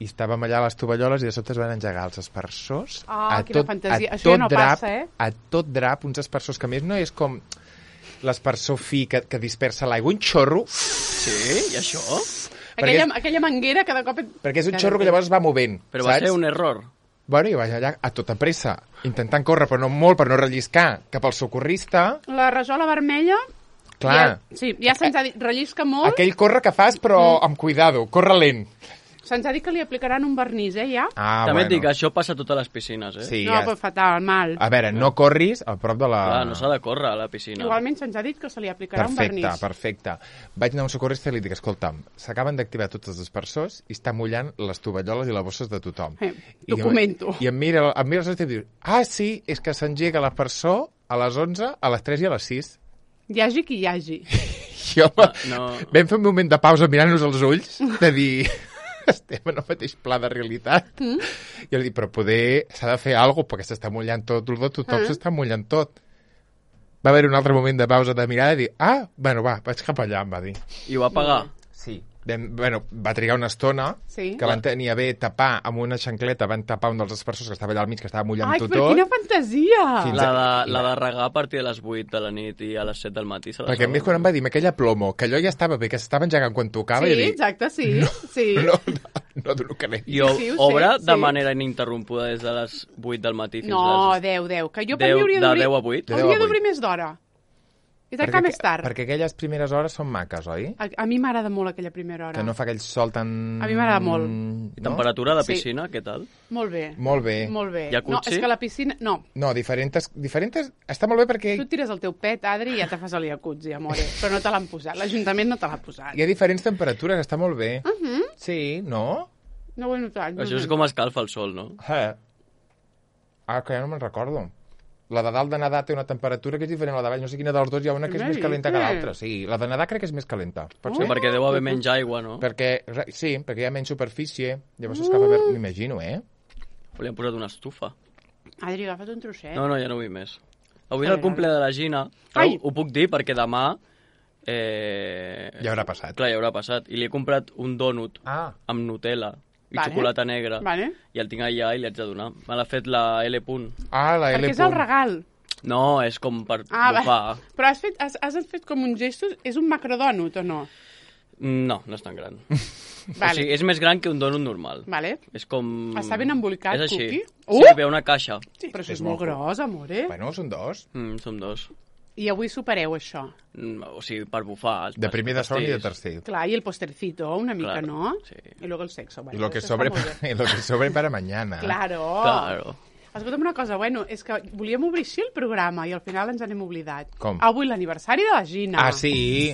i estàvem allà a les tovalloles i de sobte es van engegar els aspersors. Ah, a quina tot, fantasia. a Això ja tot no drap, passa, eh? A tot drap, uns aspersors que a més no és com l'aspersor fi que, que dispersa l'aigua, un xorro, Sí? I això? Aquella, perquè és- aquella manguera que de cop... et- perquè és un Cada xorro que dia. llavors es va movent, Però va saps? ser un error. Bueno, i vaig allà a tota pressa, intentant córrer, però no molt, per no relliscar, cap al socorrista. La rajola vermella... Clar, Ja, sí, ja se'ns ha dit, rellisca molt. aquell corre que fas, però amb cuidado, corre lent. Se'ns ha dit que li aplicaran un vernís, eh, ja? Ah, També bueno. et dic que això passa a totes les piscines, eh? Sí, no, ja. però fatal, mal. A veure, no corris a prop de la... Clar, no s'ha de córrer a la piscina. Igualment se'ns ha dit que se li aplicarà Perfecte, un vernís. perfecte. Vaig anar a un socorrista i li dic, escolta'm, s'acaben d'activar tots els aspersors i està mullant les tovalloles i les bosses de tothom. Eh, I, documento. I em mira, em mira el i diu, ah, sí, és que s'engega l'aspersor a les onze, a les tres i a les sis. Hi hagi qui hi hagi. Jo, Ah, no. vam fer un moment de pausa mirant-nos als ulls, de dir, estem en el mateix pla de realitat. Mm? I li dic, però poder, s'ha de fer alguna cosa, perquè s'està mullant tot, tot tothom Ah. s'està mullant tot. va haver un altre moment de pausa de mirada i dir, ah, bueno, va, vaig cap allà, em va dir. I ho va pagar? Sí. Vam, bueno, va trigar una estona Sí. que van tenir a bé tapar amb una xancleta, van tapar un dels aspersors que estava allà al mig, que estava mullant Ai, tot. però quina fantasia! Fins La de, la de regar a partir de les vuit de la nit i a les set del matí se la Perquè a més quan em va dir aquella plomo, que allò ja estava bé, que s'estava engegant quan tocava, Sí, i dic, exacte, sí. sí. no, no, no dono que n'he. I o, Sí, ho sé, obre de sí. manera ininterrompuda des de les vuit del matí fins No, a les... deu, deu. Que jo per deu- mi hauria de d'obrir... deu a vuit? De deu a Hauria vuit. d'obrir més d'hora. I tancar més tard. Perquè aquelles primeres hores són maques, oi? A, a mi m'agrada molt aquella primera hora. Que no fa aquell sol tan... A mi m'agrada molt. I No? temperatura de Sí. piscina, què tal? Molt bé. Molt bé. Molt bé. Jacuzzi? No, és que la piscina... No, No, diferents... diferents... Està molt bé perquè tu et tires el teu pet, Adri, i ja te fas el jacuzzi, amore. Però no te l'han posat. L'Ajuntament no te l'ha posat. hi ha diferents temperatures, està molt bé. Uh -huh. Sí, no? No ho he notat. No Això ho és he com escalfa el sol, no? Eh. Ah, que ja no me'n recordo. La de dalt de nedar té una temperatura que és diferent a la de baix. No sé quina dels dos hi ha una que és Què més calenta que dices? l'altra. Sí, la de nedar crec que és més calenta. Pot Sí, ser? perquè deu haver menys aigua, no? Perquè, re- sí, perquè hi ha menys superfície. Llavors s'escalfa més, Uh. m'imagino, eh? Li han posat una estufa. Adri, agafa't un trosset. No, no, ja no vull més. Avui és Vale, el cumple de la Gina. Ai! Ho, ho puc dir perquè demà... Eh... Ja haurà passat. Clar, ja haurà passat. I li he comprat un dònut Ah, amb Nutella i Vale. xocolata negra. Vale. I el tinc allà i li haig de donar. Me l'ha fet la L. Punt. ah la L. Perquè és el regal. No, és com per Ah, va. bufar. Però has fet, has, has fet com un gesto... És un macrodònut o no? No, no és tan gran. Vale. O sigui, és més gran que un dònut normal. Vale. És com... Està ben embolicat, És així. cookie? Sí, Uh! ve una caixa. Sí, però això És és molt molt gros, amore. Bueno, són dos. Mm, som dos. I avui supereu això. Mm, o sigui, per bufar. Els De primer, de segon i de pastís. tercer. Clar, i el postercito, una mica, Claro, no? sí. I luego el sexo. Y Bueno, lo que això sobre, està molt bé. y lo que sobre para mañana. Claro. Claro. Escolta'm una cosa, bueno, és que volíem obrir així el programa i al final ens n'hem oblidat. Com? Avui l'aniversari de la Gina. Ah, sí.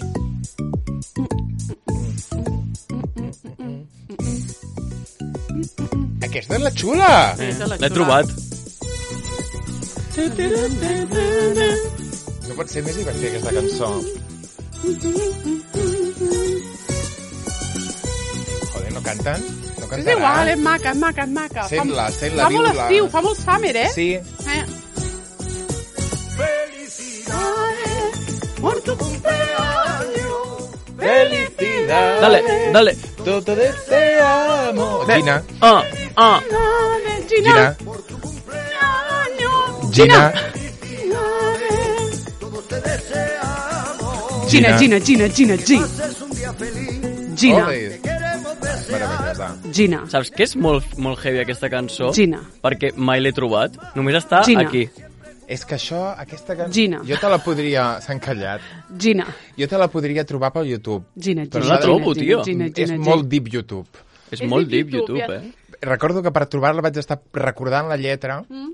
Aquesta és la xula. Sí, és la L'he xula. trobat. No pot ser més divertida aquesta cançó. Joder, no canten? No És cantaran? igual, és maca, és maca, és maca. Sent-la, Fa- sent-la, Fa molt viu-la. estiu, fa molt summer, eh? Sí. Eh? Por tu cumpleaños. Felicidad. Dale, dale. Todo deseamos. Gina. Ah, ah. Gina. Gina. Gina. Gina. Gina, Gina, Gina, Gina, Gina. Gina. Ole. Meravellosa. Gina. Saps què és molt, molt heavy aquesta cançó? Gina. Perquè mai l'he trobat. Només està Gina. aquí. És que això, aquesta cançó... Gina. Jo te la podria... S'ha encallat. Gina. Jo te la podria trobar pel YouTube. Gina, Gina. Però no la Gina, trobo, Gina, tio. Gina, Gina, És Gina. molt deep YouTube. És, És molt deep deep YouTube, YouTube, eh? Recordo que per trobar-la vaig estar recordant la lletra mm.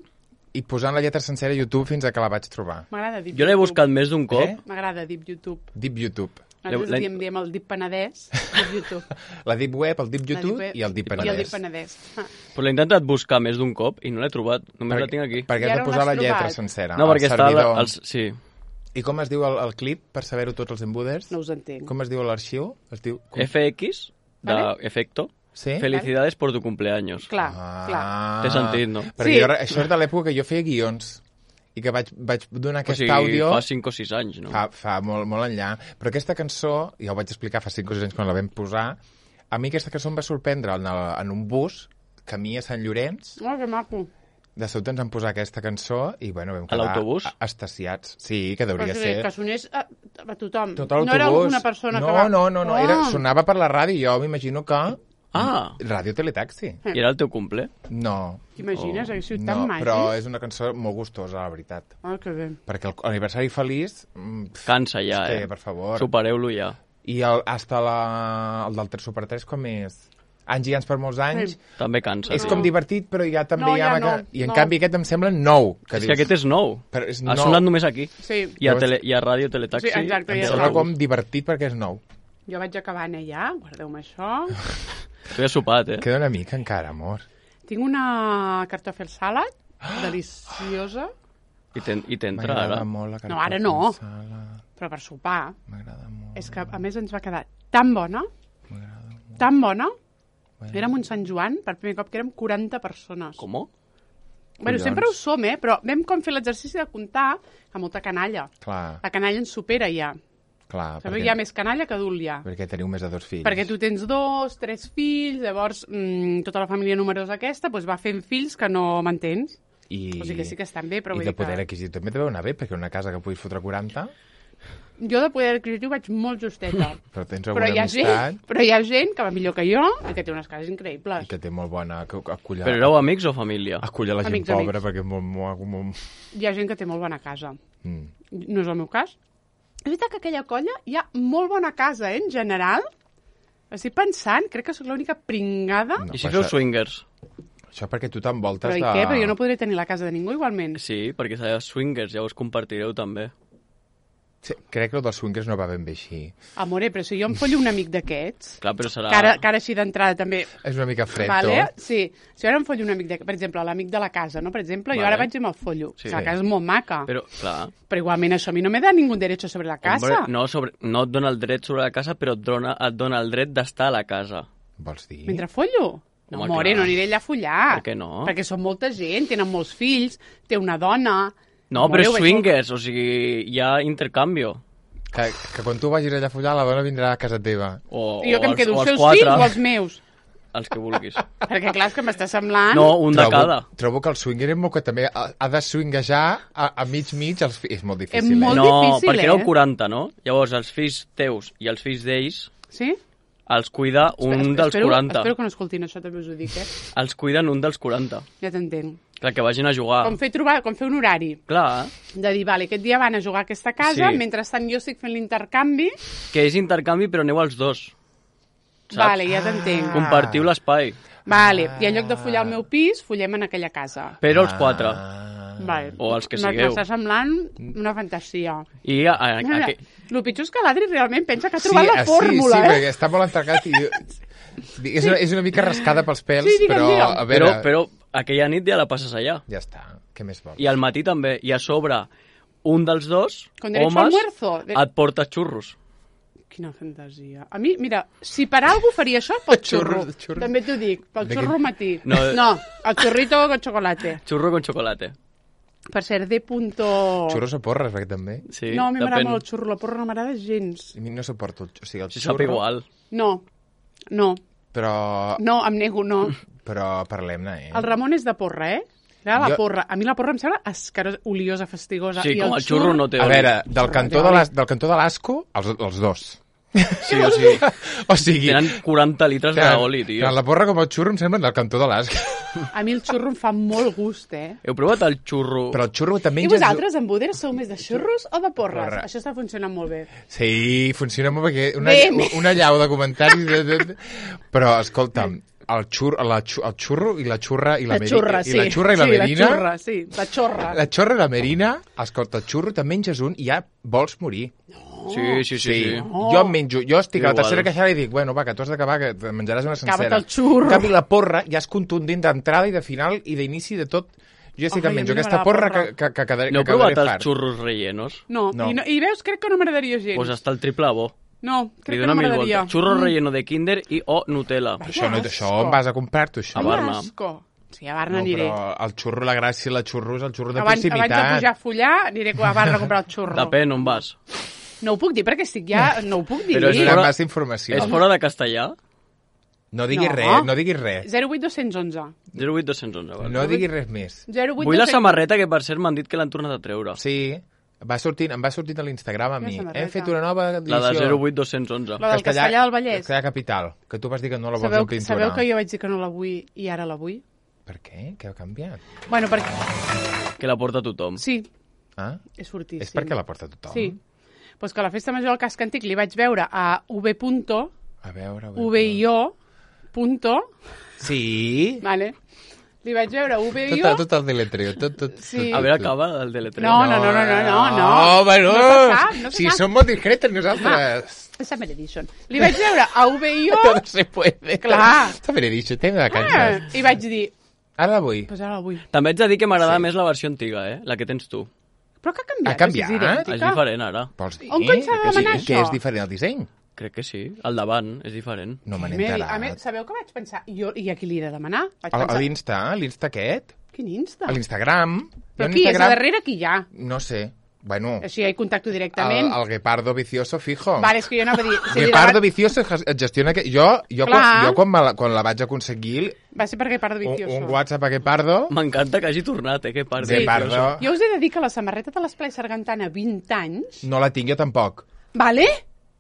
i posant la lletra sencera a YouTube fins a que la vaig trobar. M'agrada Deep Jo l'he YouTube. buscat més d'un cop. Eh? M'agrada Deep YouTube. Deep YouTube. Nosaltres La- diem, diem el Deep Penedès, Deep YouTube. La Deep Web, el Deep La YouTube Deep Web i el Deep I el Deep Penedès. Penedès. Ah. Però l'he intentat buscar més d'un cop i no l'he trobat. Només la tinc aquí. Perquè I has ara de on posar la l'has lletra trobat? sencera. No, perquè el està... servidor. La, els, sí. I com es diu el, el clip, per saber-ho tots els embuders? No us entenc. Com es diu l'arxiu? Es diu... Com... F X, de Vale. efecto. Sí? Felicidades por tu cumpleaños. Clar, Ah, clar. Té sentit, no? Perquè Sí. jo, això és de l'època que jo feia guions i que vaig, vaig donar O aquest sigui, àudio fa cinc o sis anys, no? fa, fa molt, molt enllà. Però aquesta cançó, ja ho vaig explicar fa cinc o sis anys quan la vam posar, a mi aquesta cançó em va sorprendre en, el, en un bus, camí a Sant Llorenç, Oh, que maco. de sobte ens van posar aquesta cançó i bueno, vam A quedar l'autobús? a- estasiats. Sí, que deuria Però, o sigui, ser... que sonés a, a tothom. Tot l'autobús. No era una persona no, que va... No, no, no, Oh. era, sonava per la ràdio, jo m'imagino que... Ah, Ràdio Teletaxi. i era el teu cumple? No, T'imagines? Oh. Hagués sigut no, tan màgic. però és una cançó molt gustosa, la veritat. Ah, que bé. Perquè el- l'aniversari feliç... mm, pf, Cansa ja, és que, eh? per favor. Supereu-lo ja. I el, hasta la, el del tres Super tres com és? Anys i anys per molts anys. Sí. També cansa. És tio. com divertit, però ja també No, hi ha... ja una no, que... I en no. canvi aquest em sembla nou. Que És dius, que aquest és nou. Però és Ha nou. sonat només aquí. Sí, I a, Llavors- tele, i a Ràdio Teletaxi. Sí, exacte, Em ja sembla nou. com divertit perquè és nou. jo vaig acabant ja, guardeu-me això. Tu ja has sopat, eh? Queda una mica encara, amor. Tinc una cartòfel salad, deliciosa, I ten- i t'entra M'agrada ara. molt la No, ara no. cartofa sala. però per sopar. M'agrada molt. És que, a més, ens va quedar tan bona, M'agrada molt. tan bona. Bueno. Érem un Sant Joan, per primer cop que érem quaranta persones. Com? Bueno, sempre ho som, eh? Però vam com fer l'exercici de comptar a molta canalla. Clar, La canalla ens supera ja. clar. Sabeu, hi ha més canalla que adult ja. Perquè teniu més de dos fills. Perquè tu tens dos, tres fills, llavors mmm, tota la família numerosa aquesta doncs va fent fills que no mantens. I... O sigui que sí que estan bé, però I vull de dir que... poder adquisitiu també deveu anar bé, perquè una casa que puguis fotre quaranta, Jo de poder adquisitiu vaig molt justeta. però tens però, alguna hi ha amistat gent, però hi ha gent que va millor que jo i que té unes cases increïbles. i que té molt bona ac- acollida. Però éreu amics o família? Acull a la gent Amics, pobra, amics. perquè és molt... molt, molt... Hi ha gent que té molt bona casa. Mm. No és el meu cas. És veritat que aquella colla hi ha molt bona casa, eh, en general. Estic pensant, crec que sóc l'única pringada. No, I si però feu això- swingers? Això perquè tu t'envoltes Però i de... què? Però jo no podré tenir la casa de ningú igualment. Sí, perquè sereu swingers, llavors compartireu també. Sí, crec que el dels swingers no va ben bé així. Amore, però si jo em follo un amic d'aquests, Clar, però serà... que ara, que ara així d'entrada també... És una mica fred, Vale? tot. Sí. Si ara em follo un amic, de, per exemple, l'amic de la casa, no? Per exemple, jo Vale. ara vaig i me'l follo. Sí. Sí. La casa és molt maca. Però... Però, clar... però igualment això a mi no me da ningú derecho sobre la casa. Hombre, no, sobre, no et dona el dret sobre la casa, però et dona, et dona el dret d'estar a la casa. Vols dir? Mentre follo? No, Home, amore, clar. no aniré allà a follar. Per què no? Perquè són molta gent, tenen molts fills, té una dona... No, Amore, però ho és veig swingers, o sigui, hi ha intercanvi. Que, que quan tu vagis allà a follar, la dona vindrà a casa teva. O, molt... I jo que em o els, quedo o els els seus quatre, fills o els meus. els que vulguis. Perquè, clar, és que m'està semblant... No, un de trobo, cada. Trobo que el swinger és molt que també ha, ha de swingejar a, a mig-mig. Els fills. És molt difícil, És molt eh? No, difícil, perquè eh? éreu quaranta, no? Llavors, els fills teus i els fills d'ells Sí? els cuida un Espera, dels espero, quaranta. Espero que no escoltin això, també us ho dic, eh? Els cuiden un dels quaranta. Ja t'entenc. Clar, que vagin a jugar. Com fer, trobar, com fer un horari. Clar, De dir, vale, aquest dia van a jugar a aquesta casa, Sí. mentrestant jo estic fent l'intercanvi. que és intercanvi, però aneu els dos. Saps? Vale, ja t'entenc. Compartiu l'espai. Vale, i en lloc de follar al meu pis, follem en aquella casa. Però els quatre. Ah. Vale. O els que M- sigueu. M'està semblant una fantasia. I a, a, a, Mira, a, el pitjor és que l'Adri realment pensa que ha trobat la ah, fórmula, sí, sí, eh? perquè està molt entregat i... És, una, és una mica rascada pels pèls, Sí, digue'm, però digue'm. a veure... però, però aquella nit ja la passes allà. Ja està, què més vols? I al matí també. I a sobre, un dels dos, Con derecho al homes, almuerzo. De- et porta xurros. Quina fantasia. A mi, mira, si per algú faria això, pel xurro. Xurro, xurro. També t'ho dic, pel De xurro quin- matí. No. no, el xurrito con chocolate. Xurro con chocolate. Per cert, de punto... Xurros o porres, perquè també. Sí, no, a mi m'agrada depèn. molt el xurro, la porra no m'agrada gens. A mi no suporto el, o sigui, el Si xurro... sap igual. No, no, Però, no, em nego, no. però parlem-ne, eh? El Ramon és de porra, eh? Ara la Jo- porra. A mi la porra em sembla escarosa, oliosa, fastigosa. Sí, I com el xurro no té A oli. veure, del cantó de l'as- del cantó de l'asco, els, els dos. Sí, o sigui, O sigui... tenen quaranta litres tant- d'oli, tio. tant la porra com el xurro em semblen del cantó de l'asco. A mi el xurro em fa molt gust, eh? Heu provat el xurro? Però el xurro també... I menges- vosaltres, en Boder, sou més de xurros o de porres? Porra. Això està funcionant molt bé. Sí, funciona molt perquè una, Bé, bé. una llau de comentaris... De, de, de... Però, escolta'm, el, xur, la, xu- el xurro i la xurra i la, La meri- xurra, sí. i la xurra i la sí, merina... la xurra, sí, la xorra. La xorra i la merina, escolta, el xurro te'n menges un i ja vols morir. Sí, sí, sí. sí. Oh. Jo em menjo, jo estic a la Igual. tercera queixada i dic, bueno, va, que tu has d'acabar, que te menjaràs una sencera. Acaba't el xurro. En canvi, la porra ja és contundent d'entrada i de final i d'inici de tot. Jo ja estic Ai, que em a mi menjo no aquesta m'agrada porra porra. que, que, que, quedaré, No heu que quedaré provat els fart. xurros rellenos? No, No. I, no, i veus, crec que no m'agradaria gens. Doncs pues està el triple bo. No, Li crec que dona no mil m'agradaria. voltes. Xurro relleno de Kinder i o Nutella. Això, no, Que això asco. on vas a comprar-t'ho, això? A Barna. Asco. Sí, a Barna No, aniré. però el xurro, la gràcia, la xurro és el xurro de Abans, abans de proximitat. pujar a follar, aniré a Barna a comprar el xurro. Depèn on vas. No ho puc dir perquè estic ja... No ho puc dir. Però És és una fora- massa informació. És fora de castellà? No diguis No. res, no diguis res. zero vuit dos onze. zero vuit dos onze, vale. No diguis res més. zero vuit Vull la dos cents. samarreta que, per cert, m'han dit que l'han tornat a treure. Sí, va sortint, em va sortint a l'Instagram a Quina mi. samarreta? Hem fet una nova edició. La de zero vuit dos onze. La del Castellà del Vallès. Castellà Capital, que tu vas dir que no la vols Sabeu, en pintura. sabeu que jo vaig dir que no la vull i ara la vull? Per què? Què ha canviat? Bueno, perquè... Que la porta tothom. Sí, Ah? és fortíssim. És perquè la porta tothom? Sí. Pues que a la festa major del casc antic li vaig veure a V. Punto, A veure, a veure. V I O, punto, Sí? vale? Li vaig veure V I Tot, O... tot el deletreo, tot, tot. Sí. tot, A veure, tot. acaba el deletreo. No, no, no, no, no, no, no. No, bueno, No se sap, no se si sap. som molt discretes nosaltres. Ah, Summer Edition. Li vaig veure a V I O... Todo se puede. Clar. Està ben dit, tema de Ah, canxes. I vaig dir, Ara la vull. pues ara la vull. També haig de dir que m'agrada Sí. més la versió antiga, eh? La que tens tu. Però que ha canviat? Ha canviat? És idèntica. És diferent, ara. Vols dir? On cony s'ha de Que sí, demanar Que això? és diferent el disseny? Crec que sí. Al davant és diferent. No me n'he Mary, a mi, enterat. sabeu què vaig pensar? Jo, I a qui li he de demanar? Vaig A, a pensar, l'Insta, l'Insta aquest? Quin Insta? A l'Instagram. Però Jo en qui és? Instagram- A darrere qui hi ha? No sé. Bueno, Així hi contacto el, directament. el Guepardo Vicioso fijo. Vale, és que jo anava a dir... Si li Guepardo debat- Vicioso et gestiona... Que... Jo, jo, Clar. quan, jo quan, me la, quan la vaig aconseguir, Va ser per Guepardo un, Vicioso. un WhatsApp a Guepardo... M'encanta que hagi tornat, eh? Que part Sí. de Guepardo. Jo us he de dir que la samarreta de l'Esplai Sargantana vint anys... No la tinc jo tampoc. Vale?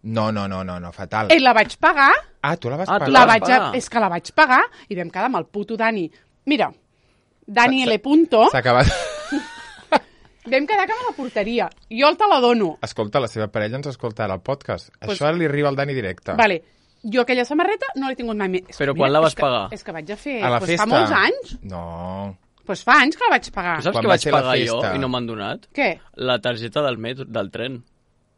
No, no, no, no, no fatal. Eh, la vaig pagar, Ah, tu la vas Ah, tu pagar? la vas vaig... pagar. És que la vaig pagar i vam quedar amb el puto Dani. Mira, Dani L. Punto, S'ha acabat... vam quedar que me la portaria. Jo te la dono. Escolta, la seva parella ens escolta ara al podcast. Pues- Això li arriba al Dani directe. Vale, jo aquella samarreta no l'he tingut mai més. És que Però quan la vas és que, pagar? És que vaig a fer... A la pues festa. fa molts anys. No. Pues fa anys que la vaig pagar. Tu saps Quan que va vaig ser la pagar jo festa? i no m'han donat? Què? La targeta del metro, del tren.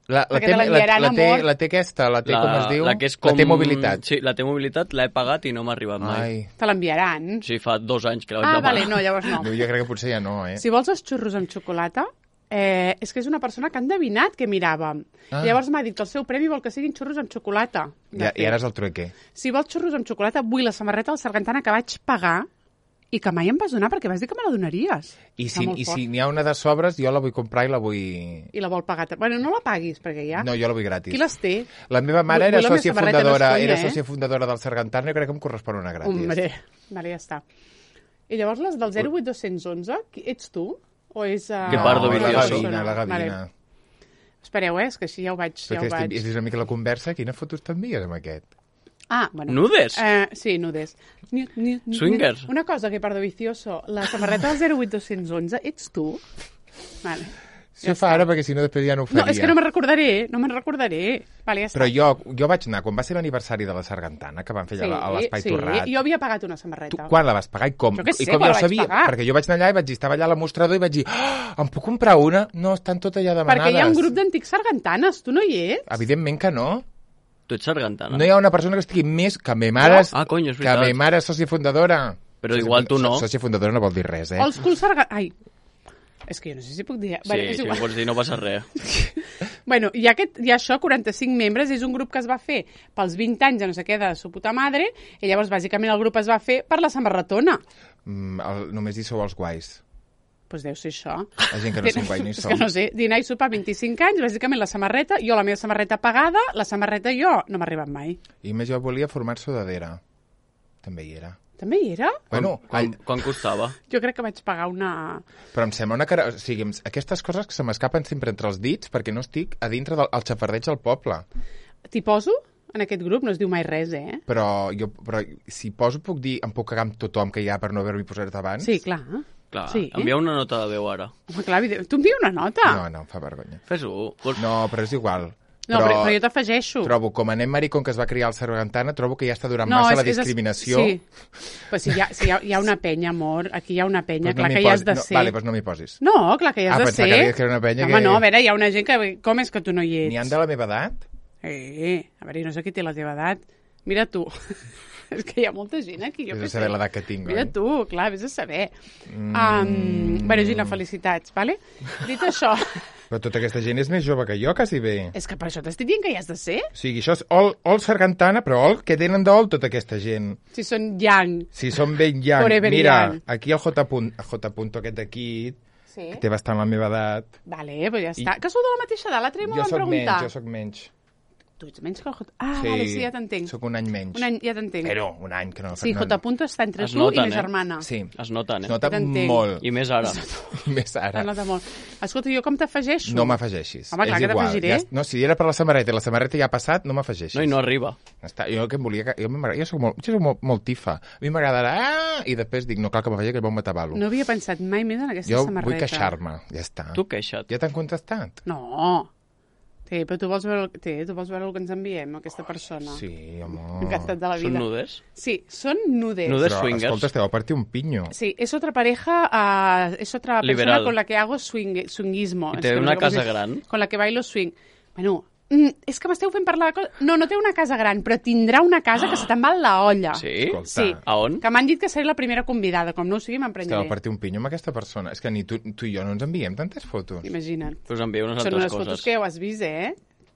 La, la, Perquè té, te la, l'enviaran, la, té, amor. la té aquesta, la té, com es diu? La que és com... La té mobilitat. Sí, la té mobilitat, l'he pagat i no m'ha arribat mai. Ai. Te l'enviaran. Sí, fa dos anys que la vaig Ah, demanar. vale, no, llavors no. No, jo crec que potser ja no, eh? Si vols els xurros amb xocolata, eh, és que és una persona que ha endevinat que miràvem. Ah. Llavors m'ha dit que el seu premi vol que siguin xurros amb xocolata. De Ja, I fet. ara és el trueque. Si vols xurros amb xocolata, vull la samarreta del Sargantana que vaig pagar i que mai em vas donar perquè vas dir que me la donaries. I Està si molt i fort. si n'hi ha una de sobres, jo la vull comprar i la vull... I la vol pagar. Bueno, no la paguis, perquè ja... No, jo la vull gratis. Qui les té? La meva mare Vull- era vull la meva sòcia samarreta, no és fundadora, conya, era eh? sòcia fundadora del Sargantana, jo crec que em correspon una gratis. Hombre, vale, ja està. I llavors les del zero vuit dos u un, qui- ets tu? O és... Uh... Que pardo la vicioso. Gavina, la Gavina. Vale. Espereu, eh? És que així ja ho vaig... Ja Perquè ho vaig... estic, és una mica la conversa, quines fotos t'envies amb aquest? Ah, bueno. Nudes? Eh, sí, nudes. Ni, ni, ni, Swingers? Una cosa que, pardo vicioso, la samarreta del zero vuit dos u un, ets tu? Vale. Si ho fa ara, perquè si no després ja no ho faria. No, és que no me'n recordaré, no me'n recordaré. Vale, ja està. Però jo, jo vaig anar, quan va ser l'aniversari de la Sargantana, que van fer allà a l'Espai sí, Torrat, jo havia pagat una tu samarreta. quan la vas pagar i com? Jo què sé, I com quan jo la vaig sabia? pagar. Perquè jo vaig anar allà i vaig dir, estava allà a la mostrador i vaig dir, oh, em puc comprar una? No, estan totes ja demanades. Perquè hi ha un grup d'antics sargantanes, tu no hi ets? Evidentment que no. Tu ets sargantana. No hi ha una persona que estigui més que me mare, No? Ah, cony, és que veritat. me mare és sòcia fundadora. Però Sòcia igual funda- tu no. Sòcia fundadora no vol dir res, eh? Old school sarga... Ai, és que jo no sé si puc dir... Sí, Vale, és si igual. ho pots dir, no passa res. Bueno, hi ha, aquest, hi ha això, quaranta-cinc membres, és un grup que es va fer pels vint anys de no sé què de su puta madre, i llavors bàsicament el grup es va fer per la samarretona. Mm, el, només hi sou els guais. Doncs pues deu ser això. La gent que no som guai no hi És som. que no sé, dinar i sopar vint-i-cinc anys, bàsicament la samarreta, jo la meva samarreta pagada, la samarreta jo no m'ha arribat mai. I més jo volia formar sudadera. També hi era. També hi era? Bueno, Quan, all... quan costava? Jo crec que vaig pagar una... però em sembla una cara... O sigui, em- aquestes coses que se m'escapen sempre entre els dits perquè no estic a dintre del el xafardeig del poble. T'hi poso? En aquest grup no es diu mai res, eh? Però, jo, però si poso puc dir, em puc cagar amb tothom que hi ha per no haver-m'hi posat abans? Sí, clar. Clar, Sí. envia una nota de veu ara. Home, clar, evident- tu envia una nota. No, no, em fa vergonya. Fes-ho. Vols... No, però és igual. No, però, però jo t'afegeixo. Trobo, com a nen maricón que es va criar al Sargantana, trobo que ja està durant No, massa és- la és- discriminació. Sí. Però si hi ha, si hi ha, hi ha una penya, amor, aquí hi ha una penya, Pues no clar m'hi que hi has posi- de no, ser. Vale, doncs no m'hi posis. No, clar que hi has Ah, de pensava ser. que deies que era una penya Home, que- no, a veure, hi ha una gent que... Com és que tu no hi ets? N'hi han de la meva edat? Eh, a veure, no sé qui té la teva edat. Mira tu. És que hi ha molta gent aquí, jo Vés què a saber sé. l'edat que tinc, Mira oi? tu, clar, vés a saber. Mm. Um, bueno, Gina, felicitats, vale? Dit això, Però tota aquesta gent és més jove que jo, quasi bé. és que per això t'estic dient que hi has de ser. O sigui, això és Ol, Ol Sargantana, però Ol, què tenen d'Ol tota aquesta gent? Si són young. Si són ben young. Forever Mira, young. aquí el J. Punt, J. Punto aquest d'aquí, Sí. que té bastant la meva edat. Vale, però ja està. I- Que sou de la mateixa edat, l'altre dia m'ho Jo van sóc preguntar. menys, jo sóc menys. Tu ets menys que el J... Ah, sí, vale, sí, ja t'entenc. Sóc un any menys. Un any, ja t'entenc. Però un any, que no... Sí, no, J. Punto està entre Es tu noten, i ma eh? germana. Sí, Es noten, es eh? nota T'entenc. molt. I més ara. Més ara. Es nota molt. Escolta, jo com t'afegeixo? No m'afegeixis. Home, clar És que igual. t'afegiré. Ja, no, si era per la samarreta i la samarreta ja ha passat, no m'afegeixis. No, i no arriba. Està, jo que em volia... que- Jo, m'agrada- jo soc molt, jo soc molt, molt tifa. A mi m'agradarà... Ah! I després dic, no cal que m'afegeixi, que és bon matabalo. No havia pensat mai més en aquesta jo samarreta. vull queixar-me, ja està. Tu queixa't. Ja t'han contestat? No. Sí, però tu vols veure, el... sí, tu vols veure el que ens enviem, aquesta persona. Sí, home... Encantat de la Són vida. nudes? Sí, son nudes. Nudes. Però, swingers. escolta, esteu a partir un pinyo. Sí, es otra pareja, uh, es otra persona Liberal. con la que hago swing, swinguismo. I Es té que no una sé com casa es- gran? Con la que bailo swing. Bueno, mm, és que m'esteu fent parlar de coses... No, no té una casa gran, però tindrà una casa que se te'n va a la olla. Sí? Escolta. Sí. A on? Que m'han dit que seré la primera convidada. Com no ho sigui, Esteu a m'emprenyaré. partir un pinyo amb aquesta persona. És que ni tu, tu i jo no ens enviem tantes fotos. Imagina't. Us envio unes Són altres unes coses. fotos que ja ho has vist, eh?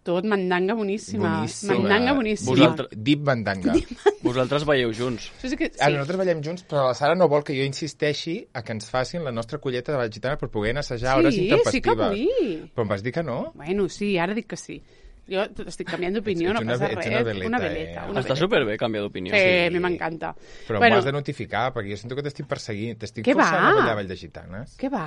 tot, mandanga boníssima. Boníssima. Mandanga boníssima. Vosaltres- Deep mandanga. Vosaltres veieu junts. Això sí que, sí. Ah, nosaltres ballem junts, però la Sara no vol que jo insisteixi a que ens facin la nostra colleta de ball gitana per poder assajar hores sí, intempestives. sí que vull. Però em vas dir que no? Bueno, sí, ara dic que sí. Jo estic canviant d'opinió, Ets- no ets una passa ve- ets res. una veleta, una eh? veleta. Una Està veleta. superbé canviar d'opinió. Sí, Sí. a mi m'encanta. Però bueno, m'ho has de notificar, perquè jo sento que t'estic perseguint, t'estic Què forçant va? a ballar ball de gitanes. Què va?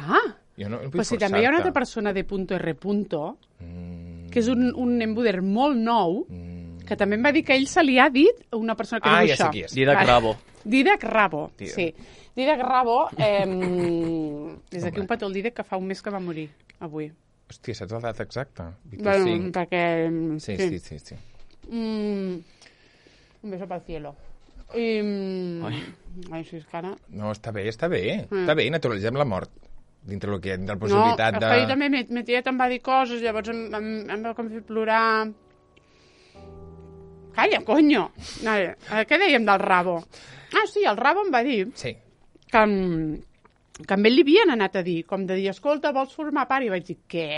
Jo no, no vull Però si també hi ha una altra forçar-te. persona de punto R punto, Mm, que és un, un embuder molt nou, mm. que també em va dir que ell se li ha dit una persona que Ah, diu ja sé això. qui és. Didac Rabo. Didac Rabo, Didac. sí. Didac Rabo, eh, des d'aquí un petó el Didac que fa un mes que va morir, avui. Hòstia, saps la data exacta? Bueno, vint-i-cinc. perquè... Sí, sí, sí. sí. Mm, un beso para el cielo. I, mm, Ai. ai, sí, és que ara... No, està bé, està bé. Mm. Està bé, naturalitzem la mort. Dintre el que hi ha, dintre la No, possibilitat és de... que ahir també me, me tiet em va dir coses, llavors em, em, em va com fer plorar... Calla, coño! No, eh, què dèiem del Rabo? Ah, sí, el Rabo em va dir Sí. que, em- que amb ell li havien anat a dir, com de dir, escolta, vols formar part? I vaig dir, què?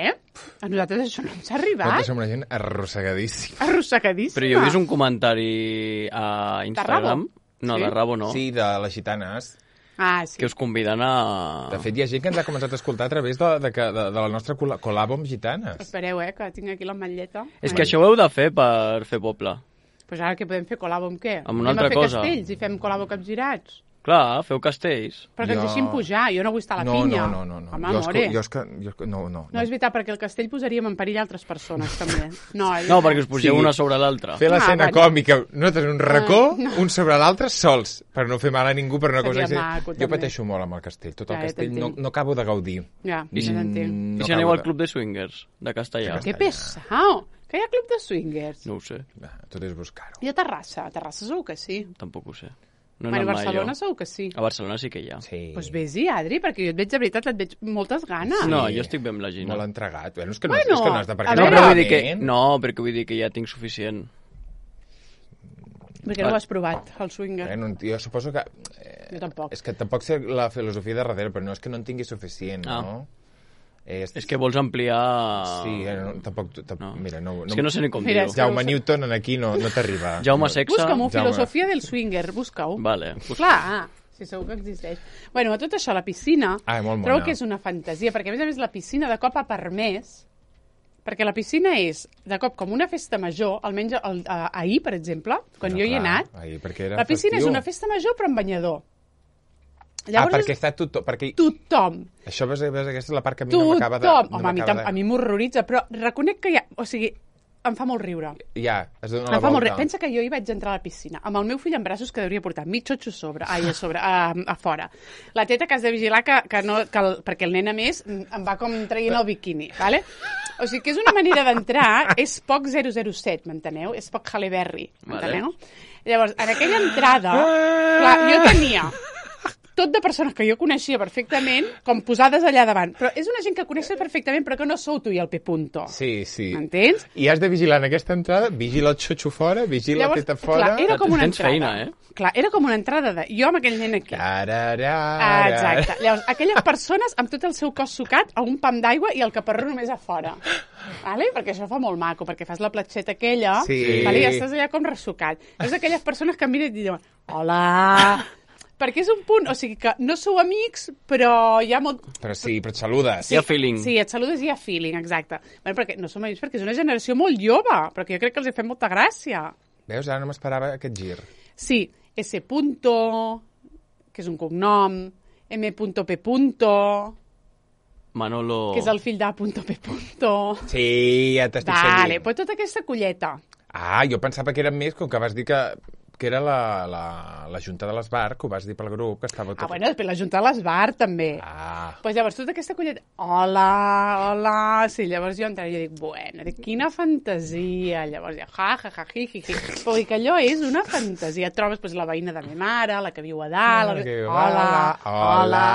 A nosaltres això no ens ha arribat. Nosaltres som una gent arrossegadíssima. Arrossegadíssima. Però jo he vist un comentari a Instagram. No, Sí? de Rabo no. Sí, de les gitanes. Ah, sí. Que us conviden a... De fet, hi ha gent que ens ha començat a escoltar a través de, de, de, de la nostra col col·labo amb gitanes. Espereu, eh, que tinc aquí l'ametlleta. És que això ho heu de fer per fer poble. Pues ara què podem fer? Col·labo amb què? Amb una Anem altra a fer cosa. castells i fem col·labo capgirats? Clar, feu castells. Però que ens Jo- deixin pujar, jo no vull estar a la no, pinya. no, no, no, no. Home, jo, és amore. que, jo és que... Jo és que no, no, No, és veritat, perquè el castell posaríem en perill altres persones, també. No, No, perquè us pugeu Sí. una sobre l'altra. Fer l'escena Ah, bueno. còmica, nosaltres un racó, Ah, no. un sobre l'altre, sols, per no fer mal a ningú, per una Seria cosa... maco, jo també. pateixo molt amb el castell, tot el Ja, ja castell no, t'entenc. no acabo de gaudir. Ja, I si- ja t'entenc. Mm, I si no aneu acabo al de- club de swingers, de Castellà? De Que pesau! Que hi ha club de swingers. No ho sé, Va, tot és buscar-ho. I a Terrassa? A Terrassa segur que sí. tampoc ho sé. No he Bueno, a anat mai Barcelona jo. segur que sí. A Barcelona sí que hi ha. Sí. Doncs pues vés-hi, Adri, perquè jo et veig, de veritat, et veig moltes ganes. No, jo estic bé amb la Gina. Molt entregat. Bueno, és que no, Bueno, és que no has de a perquè No, veure- però vull dir que... malament. No, perquè vull dir que ja tinc suficient. Perquè no ho has provat, el swinger. Bueno, jo suposo que... Eh, Jo tampoc. És que tampoc sé la filosofia de darrere, però no és que no en tingui suficient, Ah. no? És, És que vols ampliar... Sí, eh, no, tampoc... tampoc No. Mira, no, És que no sé ni com Mira, dir-ho. és que- Jaume Newton en aquí no, no t'arriba. Jaume no. Sexa... Busca-m'ho, Jaume. filosofia del swinger, busca-ho. Vale. Clar, sí, segur que existeix. Bueno, a tot això, la piscina, Ah, molt mona. trobo que és una fantasia, perquè a més a més la piscina de cop ha permès, perquè la piscina és de cop com una festa major, almenys el, a, ahir, per exemple, quan Bueno, jo hi he clar, anat, ahir, perquè era la piscina festiu. és una festa major però amb banyador. Ah, perquè està tothom... Perquè... tothom, Això, ves, ves, aquesta és la part que a mi no m'acaba de... tothom, no home, a mi, m'acaba tam- a mi m'horroritza, però reconec que hi ha, o sigui, em fa molt riure. Ja, es dona Em la fa molt volta. riure. Pensa que jo hi vaig entrar a la piscina amb el meu fill en braços que hauria portar mig xotxo a sobre, ai, a sobre, a, a fora. La teta que has de vigilar que, que no, que el, perquè el nen a més em va com traient el biquini, vale? O sigui que és una manera d'entrar, és poc zero zero set, m'enteneu? És poc Halle Berry, m'enteneu? Vale. Llavors, en aquella entrada, clar, jo tenia tot de persones que jo coneixia perfectament, com posades allà davant. Però és una gent que coneixes perfectament, però que no sou tu i el P. Punto. Sí, sí. M'entens? I has de vigilar en aquesta entrada, vigila el xotxo fora, vigila la teta fora... clar, era com una Tens entrada. feina, eh? Clar, era com una entrada de jo amb aquell nen aquí. Tararara. Ah, exacte. Llavors, aquelles persones amb tot el seu cos sucat a un pam d'aigua i el caparró només a fora. Vale? Perquè això fa molt maco, perquè fas la platxeta aquella Sí. vale? I ja estàs allà com ressucat. És aquelles persones que miren i diuen hola, perquè és un punt, o sigui que no sou amics, però hi ha molt... Però sí, però et saludes. Hi ha feeling. Sí, et saludes i hi ha feeling, exacte. Bueno, perquè no som amics perquè és una generació molt jove, però que jo crec que els hi fem molta gràcia. Veus, ara no m'esperava aquest gir. Sí, S. Punto, que és un cognom, M. P. Punto, Manolo... que és el fill de Punto P. Punto. Sí, ja t'estic Vale, seguint. pues tota aquesta colleta. Ah, jo pensava que era més, com que vas dir que, que era la, la, la Junta de l'Esbar, que ho vas dir pel grup, que estava tot... Ah, bueno, després la Junta de l'Esbar, també. Ah, Pues llavors, tota aquesta colleta... Hola, hola... Sí, llavors jo entrava i jo dic, bueno, dic, quina fantasia. Llavors ja, ja, ja, ja, hi, hi, hi. Però dic, allò és una fantasia. Et trobes pues, la veïna de ma mare, la que viu a dalt... La La... que viu a Hola, dalt, hola, hola.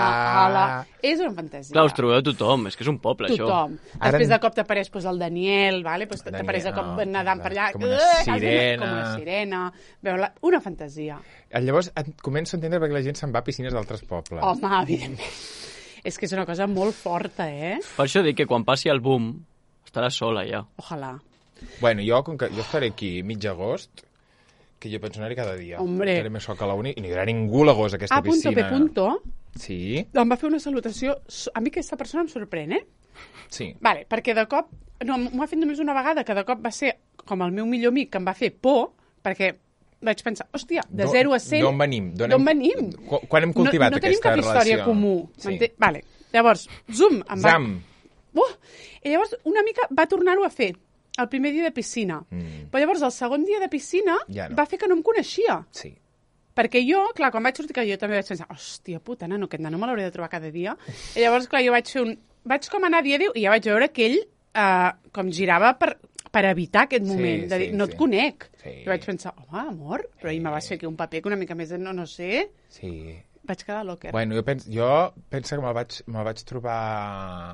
hola... És una fantasia. Clar, us trobeu tothom, és que és un poble, Tothom. Ara Després en- de cop t'apareix pues, el Daniel, vale? pues, Daniel, t'apareix de cop no, nedant per allà. com una Eh, sirena. Com una sirena. Veu, la... una fantasia. llavors et començo a entendre perquè la gent se'n va a piscines d'altres pobles. Home, evidentment. És que és una cosa molt forta, eh? Per això dic que quan passi el boom estarà sola ja. Ojalà. Bueno, jo, com que jo estaré aquí mig agost, que jo penso anar-hi cada dia. Hombre. Estaré més sol que la uni i no hi haurà ningú a l'agost a aquesta A punto, piscina. P punto, Sí, em va fer una salutació... A mi aquesta persona em sorprèn, eh? sí. Vale, perquè de cop... No, m'ho ha fet només una vegada, que de cop va ser com el meu millor amic, que em va fer por, perquè vaig pensar, hòstia, de D'on- zero a cent... d'on venim? D'on D'on hem- venim? Qu- quan hem cultivat no, no aquesta tenim cap història relació? comú. Sí. m'ente- Vale, llavors, zoom, em va... Zam. Uh! I llavors una mica va tornar-ho a fer, el primer dia de piscina. Mm. Però llavors el segon dia de piscina Ja no. va fer que no em coneixia. Sí. Perquè jo, clar, quan vaig sortir, que jo també vaig pensar, hòstia puta, nano, aquest nano me l'hauré de trobar cada dia. I llavors, clar, jo vaig fer un... Vaig com anar a dir adéu i ja vaig veure que ell eh, com girava per, per evitar aquest moment, Sí, de dir, sí, no sí. et conec. Sí. I vaig pensar, home, amor, però ell me vas fer aquí un paper que una mica més de no, no sé. Sí. Vaig quedar locker. Bueno, jo penso, jo penso que me'l vaig, me'l vaig trobar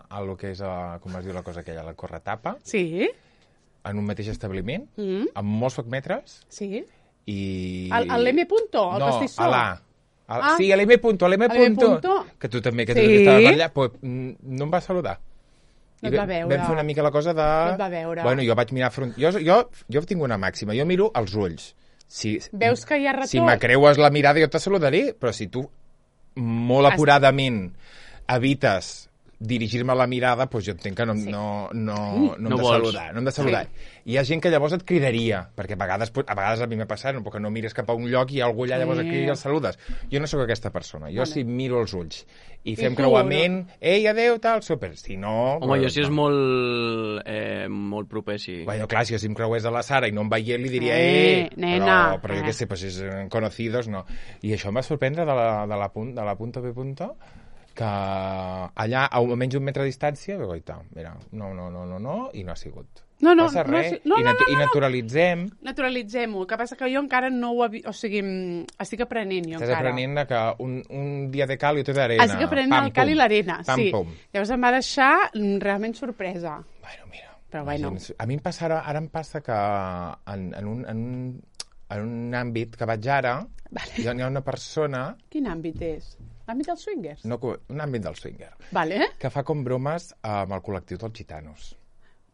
a lo que és, a, com es diu la cosa aquella, la corretapa, Sí, en un mateix establiment, mm, amb molts poc metres, sí. i... El- el l'M punto, el no, pastissó? a l'A. A- Ah. Sí, a l'M punto, a l'M A l'M punto. punto. Que tu també, que Sí. tu també estaves allà, pues, mm, no em va saludar. No I et va vam- veure. Vam fer una mica la cosa de... No et va veure. Bueno, jo vaig mirar front... Jo, jo, jo tinc una màxima, jo miro els ulls. Si, Veus que hi ha retorn? Si m'acreues la mirada jo te saludaré, però si tu molt Has- apuradament evites dirigir-me la mirada, doncs jo entenc que no, sí. no, no, no, No hem de vols. saludar. No hem de saludar. Sí. Hi ha gent que llavors et cridaria, perquè a vegades, pot- a vegades a mi m'ha passat, no, perquè no mires cap a un lloc i hi ha algú allà, llavors et crida i el saludes. Jo no sóc aquesta persona. Jo Vale. si miro els ulls i fem tu, creuament, ei, adeu, tal, super. Si no... Home, jo si és no. molt, eh, molt proper, sí. Bueno, clar, si jo si em creués de la Sara i no em veia, li diria, Eh, eh, nena, però, però jo eh. què sé, pues, si és eh, conocidos, no. I això em va sorprendre de la, de la, punt, de la punto P punto, que allà, a almenys un metre de distància, vaig dir, mira, no, no, no, no, no, i no ha sigut. No, no, Passa no ha res, si- no, i, no, natu no, no, i no. naturalitzem, Naturalitzem-ho. El que passa que jo encara no ho... Havi... O sigui, mm, estic aprenent jo estàs encara. aprenent de que un, un dia de cal i otro d'arena. Estic aprenent el cal i l'arena, pam, sí. Pum. Llavors em va deixar mm, realment sorpresa. Bueno, mira. Però bueno. Imagina't, a mi em passa ara, ara em passa que en, en, un, en, un, en un àmbit que vaig ara, Vale. hi ha hi ha una persona, Quin àmbit és? L'àmbit dels swingers? no, un àmbit del swinger, Vale, que fa com bromes amb el col·lectiu dels gitanos.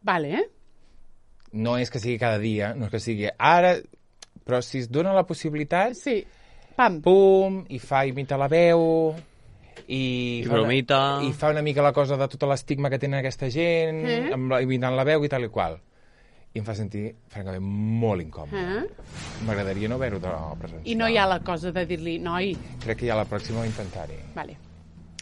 vale. No és que sigui cada dia, no és que sigui ara, però si es dona la possibilitat, Sí. Pam. pum, i fa imita la veu, i, I fa una- bromita. i fa una mica la cosa de tota l'estigma que tenen aquesta gent, Eh? amb la, imitant la veu i tal i qual. I em fa sentir, francament, molt incòmode. Eh? M'agradaria no haver-ho de presenciar. I no hi ha la cosa de dir-li, noi, Crec que ja la pròxima ho intentaré. vale.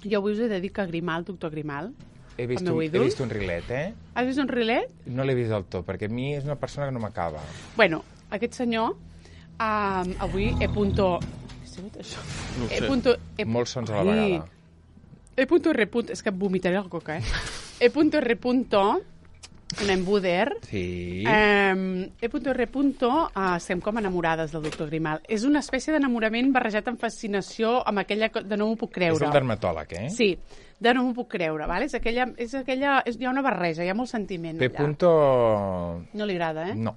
Jo avui us he de dir que Grimal, doctor Grimal, He vist, meu un, he ídol. vist un rilet, eh? has vist un rilet? No l'he vist del tot, perquè a mi és una persona que no m'acaba. Bueno, aquest senyor, um, avui he punto... Què ha sigut això? No ho He sé. punto... He... Molts sons a la Ai. vegada. E punto R punto... És que vomitaré la coca, eh? E punto R punto... Un embuder. Sí. Eh, E punto R punto... Uh, estem com enamorades del doctor Grimal. És una espècie d'enamorament barrejat amb fascinació, amb aquella... co- de no m'ho puc És creure. el dermatòleg, eh? Sí, de no m'ho puc creure, ¿vale? És aquella... És aquella és, hi ha una barreja, hi ha molt sentiment P. allà. Punto... No li agrada, eh? No.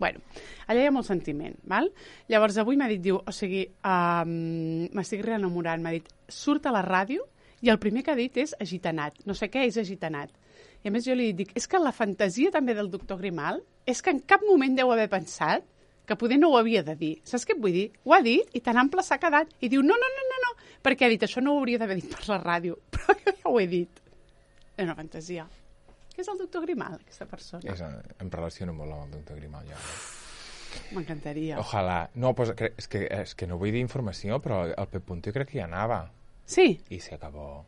Bueno, allà hi ha molt sentiment, val? Llavors avui m'ha dit, diu, o sigui, um, m'estic reenamorant, m'ha dit, surt a la ràdio i el primer que ha dit és agitanat. No sé què és agitanat. I a més jo li dic, és que la fantasia també del doctor Grimal és que en cap moment deu haver pensat que poder no ho havia de dir. Saps què et vull dir? Ho ha dit i tan ample s'ha quedat. I diu, no, no, no, no, no, perquè ha dit, això no ho hauria d'haver dit per la ràdio. Però jo ja ho he dit. És una fantasia. Què és el doctor Grimal, aquesta persona? És, em relaciono molt amb el doctor Grimal, ja. M'encantaria. Ojalà. No, pues, cre- és, que, és que no vull dir informació, però el P. Punto jo crec que hi anava. Sí, I se acabó.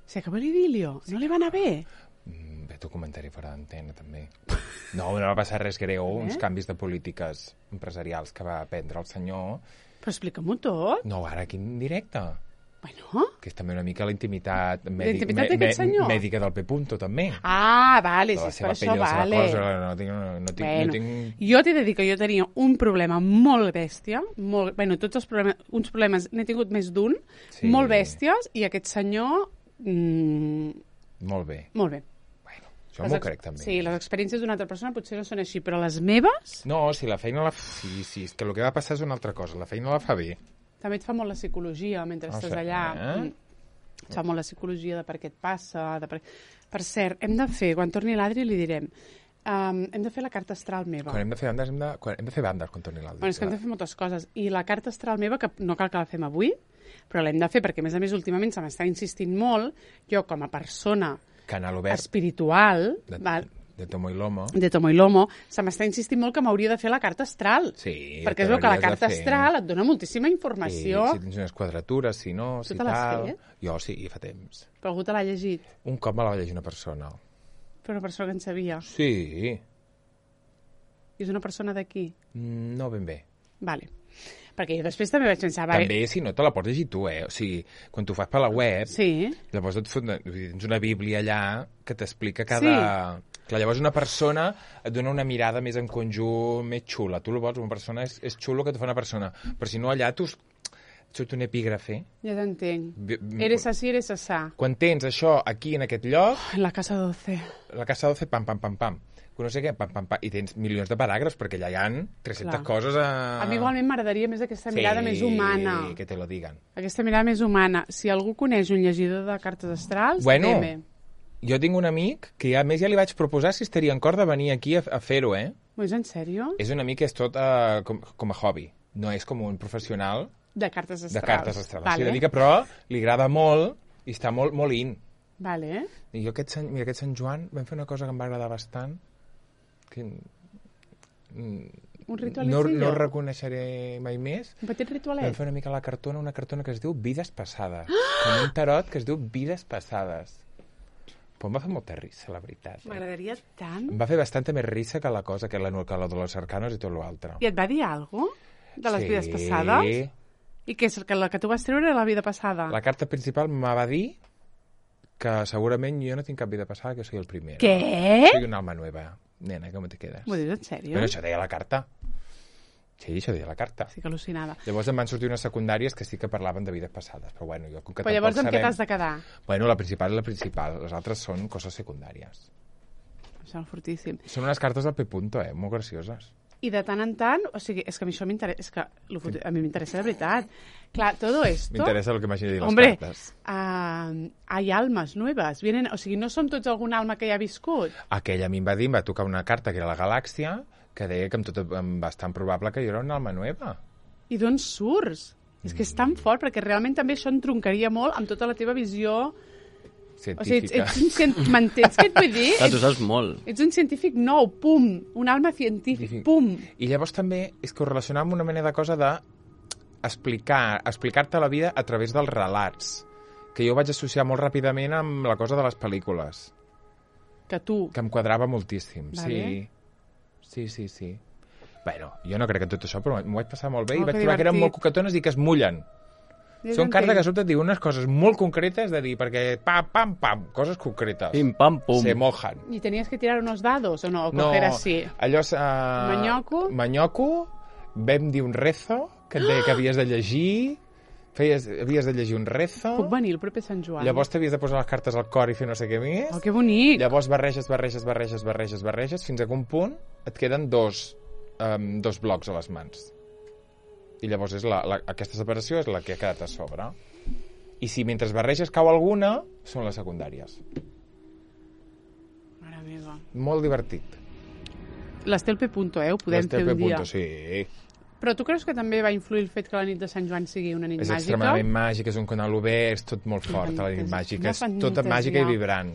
se acabó l'idilio. No li va anar bé. Mm, Bé, tu comentari fora d'antena, també. No, no va passar res greu, Eh? uns canvis de polítiques empresarials que va prendre el senyor. Però explica-m'ho tot. No, ara aquí en directe. Bueno. Que és també una mica la intimitat, La intimitat d'aquest senyor? mèdica del P. Punto, també. Ah, vale, De si la és per seva això, pell, de la seva vale. cosa, no tinc... No tinc, Bueno, no tinc... jo t'he de dir que jo tenia un problema molt bèstia, molt, bueno, tots els problemes, uns problemes, n'he tingut més d'un, Sí. molt bèsties, i aquest senyor, mm, Molt bé. molt bé. Bueno, jo Les m'ho ex- crec, també. Sí, les experiències d'una altra persona potser no són així, però les meves No, si la feina la... Sí, sí, és que el que va passar és una altra cosa. La feina la fa bé. també et fa molt la psicologia mentre Ah, estàs sí, allà. eh? Mm. Et fa molt la psicologia de per què et passa. De per... per cert, hem de fer, quan torni l'Adri li direm, Um, hem de fer la carta astral meva. Quan hem de fer bandes, hem de, quan hem de fer bandes quan torni l'Aldi. Bueno, és que hem de fer moltes coses. I la carta astral meva, que no cal que la fem avui, però l'hem de fer perquè, a més a més, últimament se m'està insistint molt, jo com a persona Canal obert espiritual, de, val, de Tomo i Lomo. de Tomo i Lomo, se m'està insistint molt que m'hauria de fer la carta astral. Sí, perquè te es veu que la l'hauries de carta fer. astral et dona moltíssima informació. Sí, si tens unes quadratures, si no, Tu si te l'has tal... fet? Jo sí, fa temps. Però algú te l'ha llegit. Un cop me la va llegir una persona. Però una persona que en sabia. Sí. I és una persona d'aquí. Mm, No ben bé. Vale. Perquè jo després també vaig pensar... Vale, També, si no, te la pots llegir tu, eh? O sigui, quan tu fas per la web, sí, llavors et fot, tens una bíblia allà que t'explica cada... Sí. Clar, llavors una persona et dona una mirada més en conjunt, més xula. Tu el vols, una persona és, és xulo que te fa una persona. Però si no, allà tu surt un epígrafe. ja t'entenc. Bi- Eres así, eres asá. Quan tens això aquí, en aquest lloc, En la casa doce. la casa doce, pam, pam, pam, pam. Que no sé què, pam, pam, pam. I tens milions de paràgrafs, perquè allà hi ha tres-centes Clar. coses a... A mi igualment m'agradaria més aquesta mirada sí, més humana. que te lo digan. Aquesta mirada més humana. Si algú coneix un llegidor de cartes astrals, Bueno, D M. Jo tinc un amic que a més ja li vaig proposar si estaria en cor de venir aquí a, a fer-ho, eh? És en sèrio? És un amic que és tot uh, com, com a hobby. No és com un professional De cartes astrals. de cartes astrals. Vale. Sí, de dir que, però li agrada molt i està molt, molt in. Vale. I jo aquest Sant, mira, aquest Sant Joan vam fer una cosa que em va agradar bastant, que mm, Un no, ritualecillo. no reconeixeré mai més. Un petit Vam ritualet. fer una mica la cartona, una cartona que es diu Vides Passades. Com un tarot que es diu Vides Passades. Però em va fer molta risa, la veritat. Eh? M'agradaria tant. Em va fer bastanta més risa que la cosa, que la, que la de los arcanos i tot l'altre. I et va dir alguna cosa? De les Sí. vides passades? I què és el que, la que tu vas treure era la vida passada? La carta principal me va dir que segurament jo no tinc cap vida passada, que soy el primer. Què? Soy un alma nueva. Nena, com te quedes? M'ho dius en sèrio? Bueno, això deia la carta. Sí, això deia la carta. Sí que al·lucinava. Llavors em van sortir unes secundàries que sí que parlaven de vides passades, però bueno, jo com que Però llavors tampoc amb què sabem... t'has de quedar? Bueno, la principal és la principal, les altres són coses secundàries. Em sembla fortíssim. Són unes cartes del P. Punto, eh? Molt gracioses. I de tant en tant, o sigui, és que a mi això m'interessa, és que lo fot... a mi m'interessa de veritat. Clar, todo esto... M'interessa el que m'hagi de dir les Hombre, cartes. uh, hay almas nuevas. Vienen, o sigui, no som tots algun alma que ja ha viscut. Aquella a mi em va dir, em va tocar una carta que era la galàxia, que deia que amb tot amb bastant probable que jo era una alma nueva. I d'on surts? És que és tan fort, perquè realment també això entroncaria molt amb tota la teva visió... O sigui, ets, Científica. ets un cient... M'entens què et vull dir? Clar, tu Ets, saps molt. ets un científic nou, pum. Un alma científic, pum. I llavors també és que ho relacionava amb una mena de cosa de explicar, explicar-te la vida a través dels relats, que jo vaig associar molt ràpidament amb la cosa de les pel·lícules, Que tu... que em quadrava moltíssim. Vale. Sí, sí, sí, sí. Bueno, jo no crec en tot això, però m'ho vaig passar molt bé Oh, i vaig que trobar que eren divertit. molt coquetones i que es mullen. Ja Són cartes que t'entenc. sobretot diuen unes coses molt concretes de dir, perquè pam, pam, pam, coses concretes. Pim, pam, pum. Se mojan. I tenies que tirar unos dados o no? O No, coger así. allò és... Uh, Manyoco? Manyoco, vam dir un rezo, que et deia que havies de llegir, feies, havies de llegir un rezo, Puc venir el proper Sant Joan? llavors t'havies de posar les cartes al cor i fer no sé què més, Oh, que bonic! llavors barreges, barreges, barreges, barreges, barreges, fins a un punt et queden dos, um, dos blocs a les mans. I llavors és la, la, aquesta separació és la que ha quedat a sobre. I si mentre barreges cau alguna, són les secundàries. Mare meva. Molt divertit. L'Estel P. Punto, eh? Ho podem L'Estel fer un P. dia. Punto, sí. Però tu creus que també va influir el fet que la nit de Sant Joan sigui una nit És màgica? extremadament màgic, és un canal obert, és tot molt fort, la nit fantasia, màgica, és quina tota fantasia. màgica i vibrant.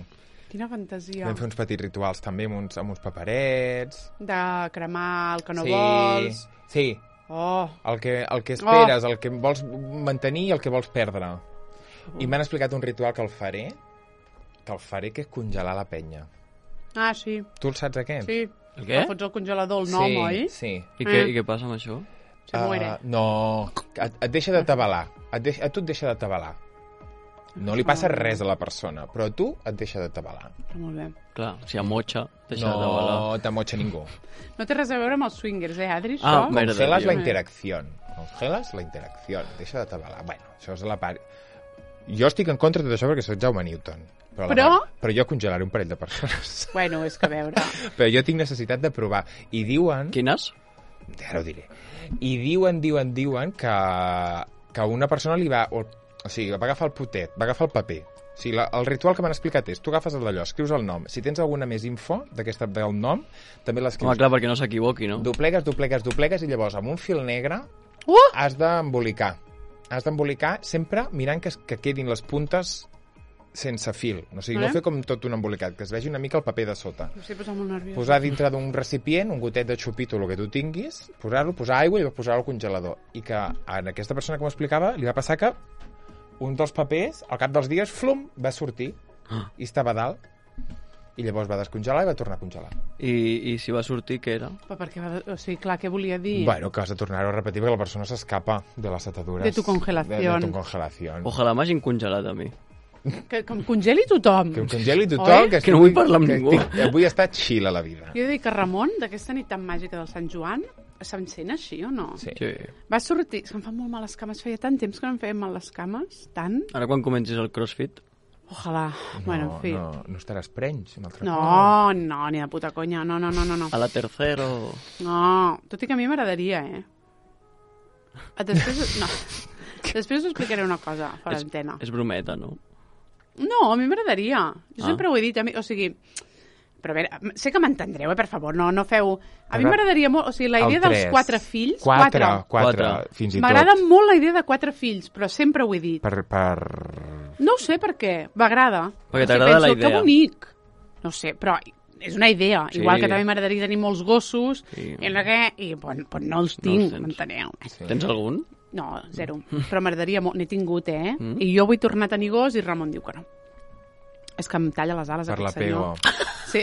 Quina fantasia. Vam fer uns petits rituals també amb uns, amb uns paperets. De cremar el que no sí, vols. Sí, Oh, el que, el que esperes, el que vols mantenir i el que vols perdre. I m'han explicat un ritual que el faré, que el faré, que és congelar la penya. ah, sí. Tu el saps aquest? Sí. El què? El fots al congelador el nom, sí, oi? Sí. I què, Eh. I què passa amb això? Se muere. Uh, no, et, et deixa de tabalar. Et deixa, a tu et deixa de tabalar. No li passa res a la persona, però a tu et deixa de tabalar. Però molt bé. Clar, si a motxa, deixa de balar. No t'amotxa ningú. No té res a veure amb els swingers, eh, Adri, Ah, això? mira. Congelas la Dios. interacción. Congelas la interacción. Deixa de tabalar. Bueno, això és la part... Jo estic en contra de tot això perquè soc Jaume Newton. Però, a la Però- part- però jo congelaré un parell de persones. Bueno, és que a veure... Però jo tinc necessitat de provar. I diuen... Quines? Ara ho diré. I diuen, diuen, diuen que, que una persona li va... O, o sigui, va agafar el potet, va agafar el paper, O sigui, la, el ritual que m'han explicat és, tu agafes el d'allò, escrius el nom. Si tens alguna més info d'aquesta del nom, també l'escrius. Home, clar, perquè no s'equivoqui, no? Doplegues, doplegues, doplegues, i llavors amb un fil negre Uh! has d'embolicar. Has d'embolicar sempre mirant que, que quedin les puntes sense fil. O sigui, Eh? no fer com tot un embolicat, que es vegi una mica el paper de sota. M'estic posant molt nerviosa. Posar dintre d'un recipient, un gotet de xupito, el que tu tinguis, posar-lo, posar aigua i posar-lo al congelador. I que a aquesta persona que m'ho explicava li va passar que un dels papers, al cap dels dies, flum, va sortir i estava a dalt. I llavors va descongelar i va tornar a congelar. I, i si va sortir, què era? Però perquè va... O sigui, clar, què volia dir? Bueno, que has de tornar-ho a repetir perquè la persona s'escapa de les atadures. De tu congelación. De, de tu congelación. Ojalà m'hagin congelat a mi. Que, que em congeli tothom. Que em congeli Oi? tothom. Que, Que no vull parlar amb que ningú. estic- Avui està chill a la vida. Jo he de dir que Ramon, d'aquesta nit tan màgica del Sant Joan, s'encén així o no? Sí. Sí. Va sortir... És que em fan molt mal les cames. Feia tant temps que no em feien mal les cames. Tant. Ara quan comencis el crossfit... Ojalà. bueno, en fi. No, no estaràs prenys. Un altre No, cop. no, ni de puta conya. No, no, no, no. no. A la tercero... No, tot i que a mi m'agradaria, eh? Ah, Després... No. Després us explicaré una cosa, fora d'antena. És brometa, no? No, a mi m'agradaria. Jo Ah. sempre ho he dit. A mi, o sigui... Però a veure, sé que m'entendreu, eh, per favor, no, no feu... A mi Però- m'agradaria molt... O sigui, la El idea dels tres. quatre fills... Quatre, quatre, Quatre. fins i tot. M'agrada molt la idea de quatre fills, però sempre ho he dit. Per, per... No ho sé per què, m'agrada. Perquè O sigui, t'agrada la penso, idea. Que bonic. No ho sé, però és una idea. Sí. Igual que també m'agradaria tenir molts gossos, Sí. i no, què, i pues, pues no els No tinc, els tens. m'enteneu? Sí. Tens algun? No, zero. Però m'agradaria molt. N'he tingut, eh? Mm. I jo vull tornar a tenir gos i Ramon diu que no. És que em talla les ales, Per la aquest senyor. pego. Sí.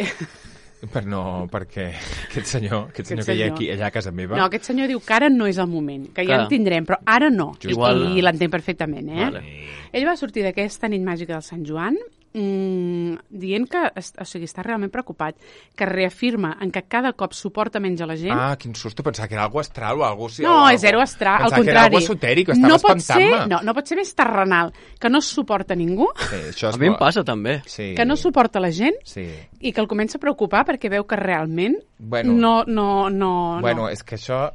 Per no, perquè aquest senyor, aquest senyor Aquest que hi ha senyor. aquí, allà a casa meva... No, aquest senyor diu que ara no és el moment, que ja Clar. en tindrem, però ara no. Just Igual- I l'entenc perfectament, eh? Vale. Ell va sortir d'aquesta nit màgica del Sant Joan mmm, dient que est- o sigui, està realment preocupat, que reafirma en que cada cop suporta menys a la gent. Ah, quin susto, pensava que era algo astral o algo... No, és zero astral, al Pensava que era contrari. algo esotèric, estava no pot ser, espantant-me. no, no pot ser més terrenal, que no suporta ningú, Sí, això és A mi em molt- passa, també. Sí. que no suporta la gent Sí. i que el comença a preocupar perquè veu que realment Bueno. no, no, no, Bueno, no. és que això...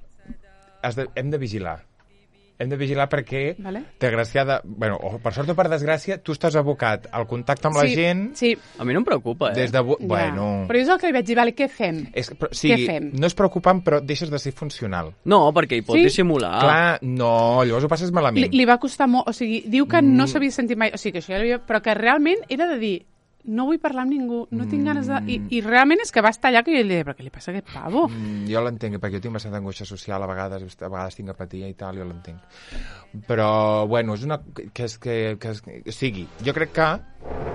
Has de, hem de vigilar. Hem de vigilar perquè, Vale. desgraciada... Bueno, o per sort o per desgràcia, tu estàs abocat al contacte amb la sí, gent sí, A mi no em preocupa, eh? des de... bu- ja. Bueno... Però és el que li vaig dir, vale, què fem? És, però, sigui, fem? no és preocupant, però deixes de ser funcional. No, perquè hi pot Sí? dissimular. Clar, no, llavors ho passes malament. Li, li va costar molt, o sigui, diu que Mm. no s'havia sentit mai, o sigui, que això ja l'havia, però que realment era de dir, no vull parlar amb ningú, no tinc ganes de... I, i realment és que va estar allà que jo li deia, però què li passa a aquest pavo? Mm, jo l'entenc, perquè jo tinc bastanta angoixa social, a vegades, a vegades tinc apatia i tal, jo l'entenc. Però, bueno, és una... Que és que, que, és, que... O sigui, jo crec que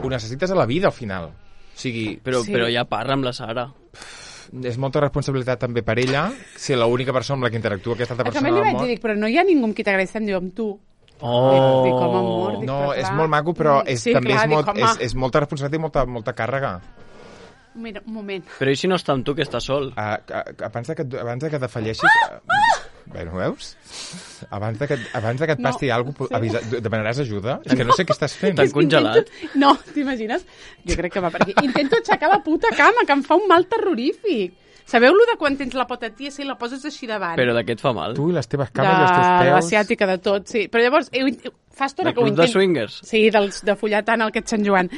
ho necessites a la vida, al final. O sigui, Però, Sí. però ja parla amb la Sara. és molta responsabilitat també per ella ser l'única persona amb la que interactua aquesta altra A persona també li del vaig món. dir, dic, però no hi ha ningú amb qui t'agradi, em diu amb tu. Oh! Dic, com amor, dic, No, però és clar. molt maco, però Mm, és, sí, també clar, és, molt, dic, és, home. és molta responsabilitat i molta, molta càrrega. Mira, un moment. Però i si no està amb tu, que està sol? Uh, abans, de que, et- abans de que defalleixis... Uh, bueno, veus? Abans de que, abans de que et No, passi alguna cosa, sí. avisa, demanaràs ajuda? És que no sé què estàs fent. T'han És que congelat? Intento... No, t'imagines? Jo crec que va per aquí. Intento aixecar la puta cama, que em fa un mal terrorífic. Sabeu lo de quan tens la pota tiesa i la poses així davant? Però de què et fa mal? Tu i les teves de, cames i els teus de peus... l'asiàtica, de tot, sí. Però llavors, heu, fa estona De que ho club de intento... swingers? Sí, dels, de follar tant el aquest Sant Joan.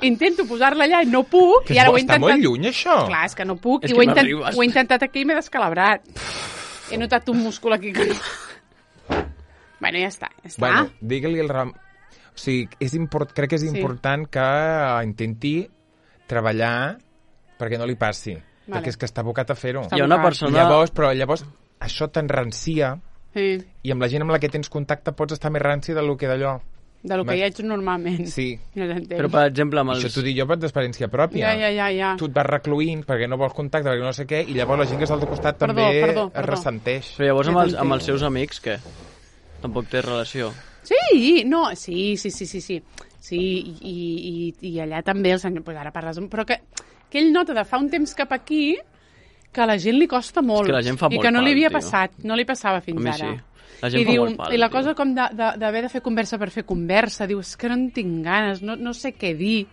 Intento posar-la allà i no puc, Que i ara ho he està intentat... molt lluny, això. Clar, és que no puc, És i que ho he, no intent... arribes. ho he intentat aquí i m'he descalabrat. He notat un múscul aquí que no... Bueno, ja està, ja està. Bueno, digue-li el ram... O sigui, és import... crec que és Sí. important que intenti treballar perquè no li passi. Vale. Perquè és que està abocat a fer-ho. Està Hi ha una abocat. persona... Llavors, però llavors això t'enrancia Sí, i amb la gent amb la que tens contacte pots estar més ranci del que d'allò. de lo que Va- ja ets normalment. Sí. No t'entenc. Però, per exemple, amb Els... els... Això t'ho dic jo per d'experiència pròpia. Ja, ja, ja, ja. Tu et vas recluint perquè no vols contacte, perquè no sé què, i llavors la gent que està al teu costat Perdó, també perdó, es perdó. ressenteix. Però llavors amb Ja els, amb t'entenc. els seus amics, què? Tampoc té relació. Sí, no, sí, sí, sí, sí, sí. Sí, i, i, i allà també el senyor, pues ara parles... amb- Però que, que ell nota de fa un temps cap aquí que a la gent li costa molt. És que la gent fa I molt que no li pal, havia tio. passat, no li passava fins A mi ara. sí. La gent I, fa diu, molt pal, I la tio. cosa com de- de- d'haver de, de fer conversa per fer conversa, diu, és que no en tinc ganes, no, no sé què dir,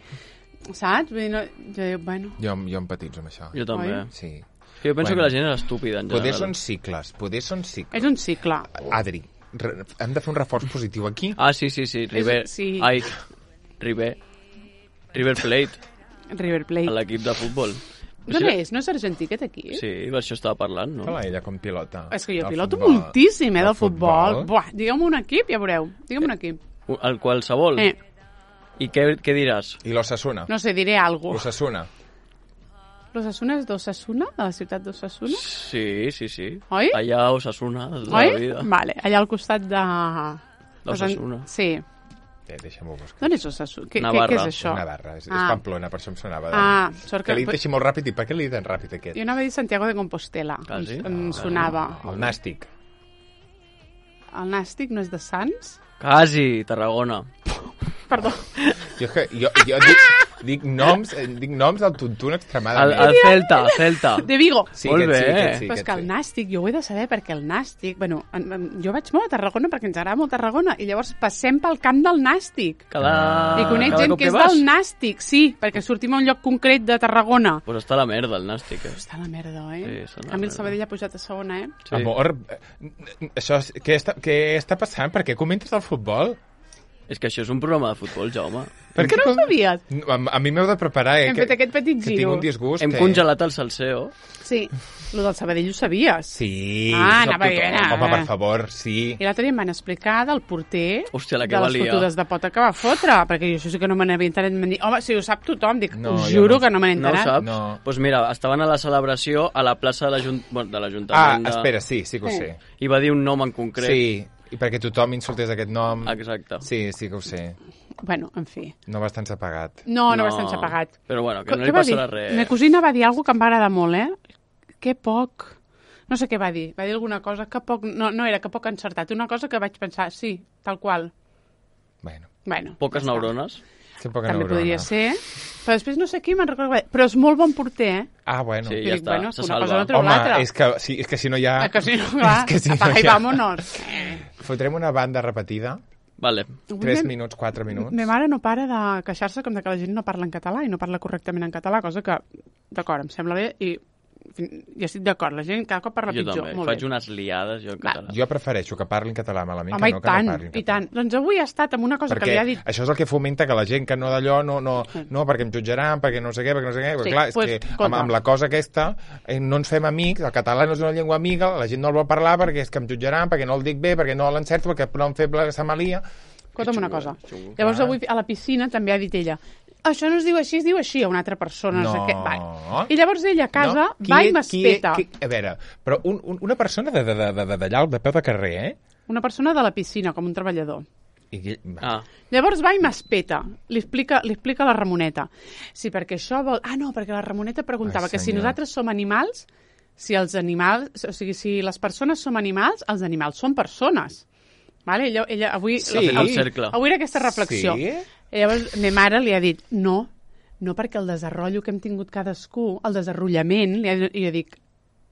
saps? Vull dir, no, jo dic, bueno, Jo, jo empatitzo amb això. Jo també. Oi? Sí. Que jo penso Bueno. que la gent és estúpida, en Poder general. són cicles, poder són cicles. és un cicle. Adri, re- hem de fer un reforç positiu aquí. Ah, sí, sí, sí. Riber... sí. Ai, Riber... River Plate, River Plate. l'equip de futbol. D'on és? No és argentí, aquest aquí? Sí, per això estava parlant, no? Hola, ella com pilota. És que jo El piloto futbol. moltíssim, eh, El del futbol. futbol. Buah, digue'm un equip, ja veureu. Digue'm un equip. El qualsevol. Eh, I què, què diràs? I l'Osasuna. no sé, diré alguna cosa. L'Osasuna. L'Osasuna és d'Osasuna? De la ciutat d'Osasuna? Sí, sí, sí. Oi? Allà a Osasuna, de la Oi? vida. Vale, allà al costat de... D'Osasuna. Sí. Eh, deixa'm-ho buscar. D'on és Osasuna? Què, què, Navarra. què és això? Navarra, és, és Ah. Pamplona, per això em sonava. De... Ah, sort que que... l'he dit així molt ràpid, i per què l'he dit tan ràpid aquest? Jo anava a dir Santiago de Compostela. Quasi. Em, em sonava. El Nàstic. El Nàstic no és de Sants? Quasi, Tarragona. Perdó. Jo, és que, jo, jo dic, dic noms eh, dic noms del tuntun El, extremadament. el Celta, Celta. De Vigo. Sí, Molt aquest sí, bé. aquest sí, Però és aquest que el sí. Nàstic, jo ho he de saber perquè el Nàstic... Bueno, en, en, jo vaig molt a Tarragona perquè ens agrada molt Tarragona i llavors passem pel camp del Nàstic. Cada, I conec cada gent cop que és vas? del Nàstic, sí, perquè sortim a un lloc concret de Tarragona. Pues està la merda, el Nàstic, eh? Està la merda, eh? Sí, està la a mi el merda. Sabadell ha pujat a segona, eh? Sí. Amor, eh, això, és- què, està, què està passant? Per què comentes el futbol? És que això és un programa de futbol, Jaume. Per Que no ho sabies? A, a mi m'heu de preparar, eh? Hem que, fet aquest petit que tinc giro. un disgust. Hem que... congelat el salseo. Sí, lo del Sabadell ho sabies. Sí. Ah, sap anava tothom. bé, Home, per favor, sí. I l'altre dia em van explicar del porter Hòstia, la que de les valia. fotudes de pota que va fotre, perquè jo això sí que no me n'havia enterat. M'han dit, home, si ho sap tothom, dic, No, us jo juro no. que no me n'he No ho enterat. saps? No. Doncs pues mira, estaven a la celebració a la plaça de l'Ajunt- bueno, de Ah, l'Ajuntament. de... espera, sí, sí que ho Sí. sé. I va dir un nom en concret. Sí, i perquè tothom insultés aquest nom. Exacte. Sí, sí que ho sé. Bueno, en fi. No va estar apagat. No, no, no va estar apagat. Però bueno, que Què no li va passarà dir? res. Ma cosina va dir alguna que em va agradar molt, eh? Que poc... No sé què va dir. Va dir alguna cosa que poc... No, no era que poc encertat. Una cosa que vaig pensar, sí, tal qual. Bueno, Bueno, Poques ja està. neurones. sé poca També neurona. podria ser. Però després no sé qui me'n recordo. Però és molt bon porter, eh? Ah, bueno. Sí, I ja dic, està, bueno, se una cosa salva. no treu Home, l'altra. és que, sí, és que si no hi ha... Ah, que si no, clar, és que si no apaga hi i ha... vámonos. Fotrem una banda repetida, Vale. tres Me- minuts, quatre minuts. Ma mare no para de queixar-se com de que la gent no parla en català i no parla correctament en català, cosa que, d'acord, em sembla bé i ja estic d'acord, la gent cada cop parla Jo pitjor. també. Molt Faig bé. unes liades, jo en Va. català. Jo prefereixo que parlin català malament Home, que i no que tant, no parlin i català. tant. Doncs avui ha estat amb una cosa Perquè que li ha dit... això és el que fomenta que la gent que no d'allò no, no, no, perquè em jutjaran, perquè no sé què, perquè no sé què, perquè Sí, clar, és pues, que amb, escolta. amb la cosa aquesta eh, no ens fem amics, el català no és una llengua amiga, la gent no el vol parlar perquè és que em jutjaran, perquè no el dic bé, perquè no l'encerto, perquè no em fem la samalia. Escolta'm una xungo, cosa. xungo. Llavors Ah. avui a la piscina també ha dit ella això no es diu així, es diu així a una altra persona. No. sé No. què. Vale. I llavors ella a casa No? Qui va i és- m'espeta. qui- qui- A veure, però un, un, una persona de, de, de, de, de, d'allà, de peu de carrer, eh? Una persona de la piscina, com un treballador. I, qui- Ah, Llavors va i m'espeta. Li explica, li explica a la Ramoneta. Sí, perquè això vol... Ah, no, perquè la Ramoneta preguntava Ai, que si senyor. nosaltres som animals, si els animals... O sigui, si les persones som animals, els animals són persones. Vale? Ella, ella avui, Sí. avui, El cercle. avui era aquesta reflexió. Sí? I llavors, ma mare li ha dit, no, no perquè el desenrotllo que hem tingut cadascú, el desenrotllament, li ha, i jo dic,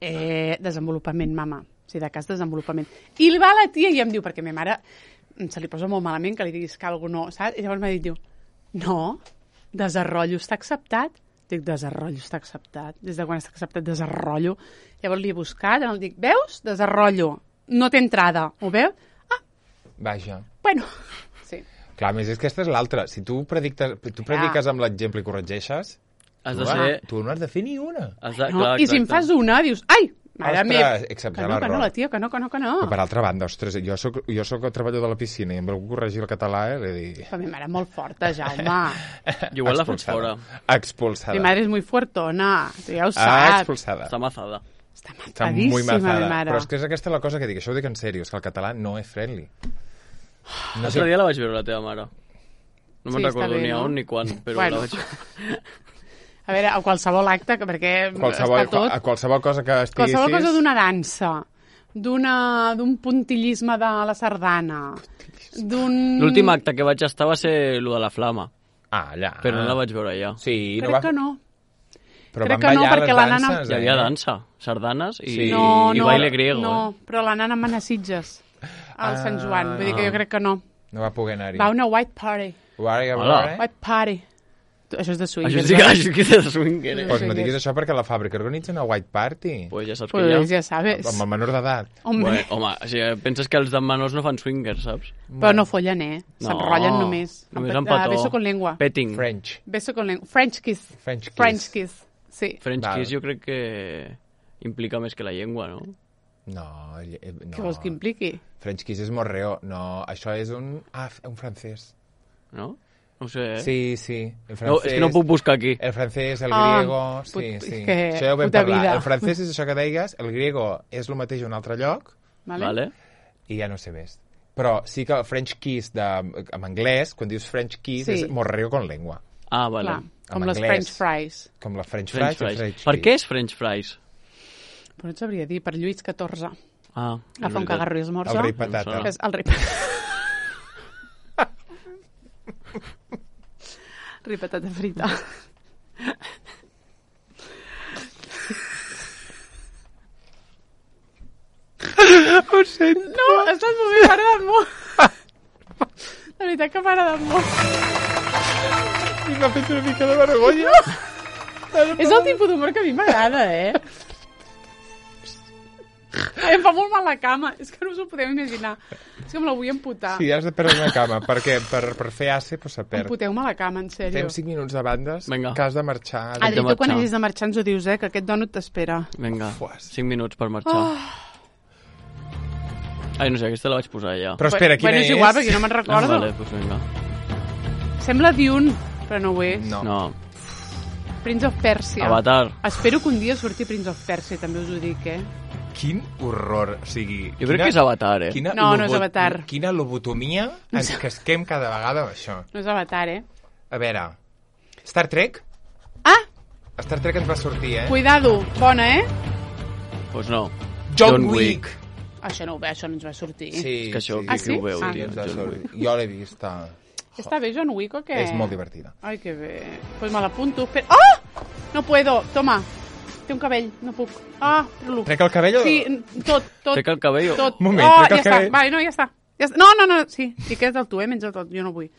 eh, desenvolupament, mama. O sigui, de cas, desenvolupament. I va la tia i em diu, perquè ma mare se li posa molt malament que li diguis que algú no, saps? I llavors m'ha dit, diu, no, desenrotllo està acceptat. Dic, desenrotllo està acceptat. Des de quan està acceptat desenrotllo? Llavors li he buscat, el dic, veus? Desenrotllo. No té entrada. Ho veu? Ah, Vaja. bueno. Sí. Clar, a més, és que aquesta és l'altra. Si tu, predictes, tu prediques amb l'exemple i corregeixes, has tu, de va, ser... tu no has de fer ni una. Has de... No? Clar, I si en exacte. fas una, dius, ai, mare Ostres, meva. he acceptat Que no, que l'error. no, la tia, que no, que no, que no. Però per altra banda, ostres, jo soc, jo soc el treballador de la piscina i em vau corregir el català, eh? Li dic... Però mi mare és molt forta, Jaume. Igual la fots fora. Expulsada. Mi madre és muy fuertona, tu ja ho Ah, saps. expulsada. Està mazada. Està Està matadíssima, muy mazada. mi mare. Però és que és aquesta la cosa que dic, això ho dic en sèrio, és que el català no és friendly. No L'altre sé, dia la vaig veure, la teva mare. No me'n Sí, està recordo bé, ni a no? on ni quan, però Bueno. la vaig veure. A veure, a qualsevol acte, que perquè qualsevol, està tot... a qualsevol cosa que estiguessis... Qualsevol cosa d'una dansa, d'una d'un puntillisme de la sardana, d'un... L'últim acte que vaig estar va ser el de la flama, Ah, allà. però no la vaig veure allà. Sí, Crec no va... que no. Però crec van que no, ballar perquè les la nana- danses, Hi havia eh? dansa, sardanes i, Sí. No, i no, baile griego. no, Eh? però la nana mana Sitges, al Sant Joan. Vull dir que jo crec que no. No va poder anar-hi. Va a una white party. Guarda, Hola. guarda. White party. Això és de Això swingers. sí que, això sí que és de swinger, eh? Sí. Pues no diguis això perquè la fàbrica organitza una white party. Pues ja saps que Pues ja... ja sabes. Amb el menor d'edat. Hombre, Bueno, home, o sigui, penses que els de menors no fan swinger, saps? però no follen, eh? No. S'enrotllen només. Només Amb amb pet- ah, petó. Beso con lengua. Petting. French. Beso con lengua. French kiss. French kiss. French kiss. Sí. French Val. kiss jo crec que implica més que la llengua, no? No, eh, eh, no. Què vols que impliqui? French kiss és morreo. No, això és un... Ah, un francès. No? No ho sé, eh? Sí, sí. El francès... No, és que no puc buscar aquí. El francès, el Ah, griego... Sí, put- sí. que Això ja ho vam puta parlar. vida. El francès és això que deies, el griego és el mateix a un altre lloc, Vale? Vale? i ja no sé més. Però sí que el French kiss de, en anglès, quan dius French kiss, Sí. és morreo con lengua. Ah, vale. Clar, com En les anglès. French fries. Com la French, French fries. i fries. French Per kiss. què és French fries? Però no et sabria dir, per Lluís catorze. Ah, és Agafa un veritat. cagarro i esmorza. El rei patata. Em És el rei patata. Rei patata frita. Ho sento. No, estàs molt bé, m'ha agradat molt. De veritat que m'ha agradat molt. I m'ha fet una mica de vergonya. És el tipus d'humor que a mi m'agrada, eh? Ai, em fa molt mal la cama. És que no us ho podeu imaginar. És que me la vull amputar. Sí, has de perdre una cama, perquè per, per fer ace pues, se perd. Amputeu-me la cama, en sèrio. Fem cinc minuts de bandes, Vinga. que has de marxar. Adri- Adri, de tu quan marxar. hagis de marxar ens ho dius, eh? Que aquest dònut t'espera. Vinga, Fuas. cinc minuts per marxar. Oh. Ai, no sé, aquesta la vaig posar ja. Però espera, quina bueno, és és? igual, perquè no me'n Ah, recordo. vale, doncs vinga. Sembla Dune, però no ho és. No. No, Prince of Persia. Avatar. Espero que un dia surti Prince of Persia, també us ho dic, eh? Quin horror. O sigui, Jo crec que és Avatar, eh? Quina No, no és lobo- Avatar. Quina lobotomia ens casquem cada vegada amb això. No és Avatar, eh? A veure, Star Trek? Ah, Star Trek ens va sortir, eh? cuidado, bona, eh? Doncs no. John Wick. Això no ho ve, això no ens va sortir. Sí, És que això, sí. Ah, qui, sí? qui ho veu, Ah. tio? ens va John sortir. Wick. Jo l'he vista. Està bé John Wick o què? És molt divertida. Ai, que bé. Pues me l'apunto. Espera. Oh! No puedo. Toma. Té un cabell. No puc. Ah, trolo. Trec el cabell o...? Sí, tot, tot. Trec el cabell o- Tot. Moment, oh, trec el ja cabell. està. Vale, no, ja està. Ja està. No, no, no, sí. I queda't el tu, eh? Menja tot. Jo no vull.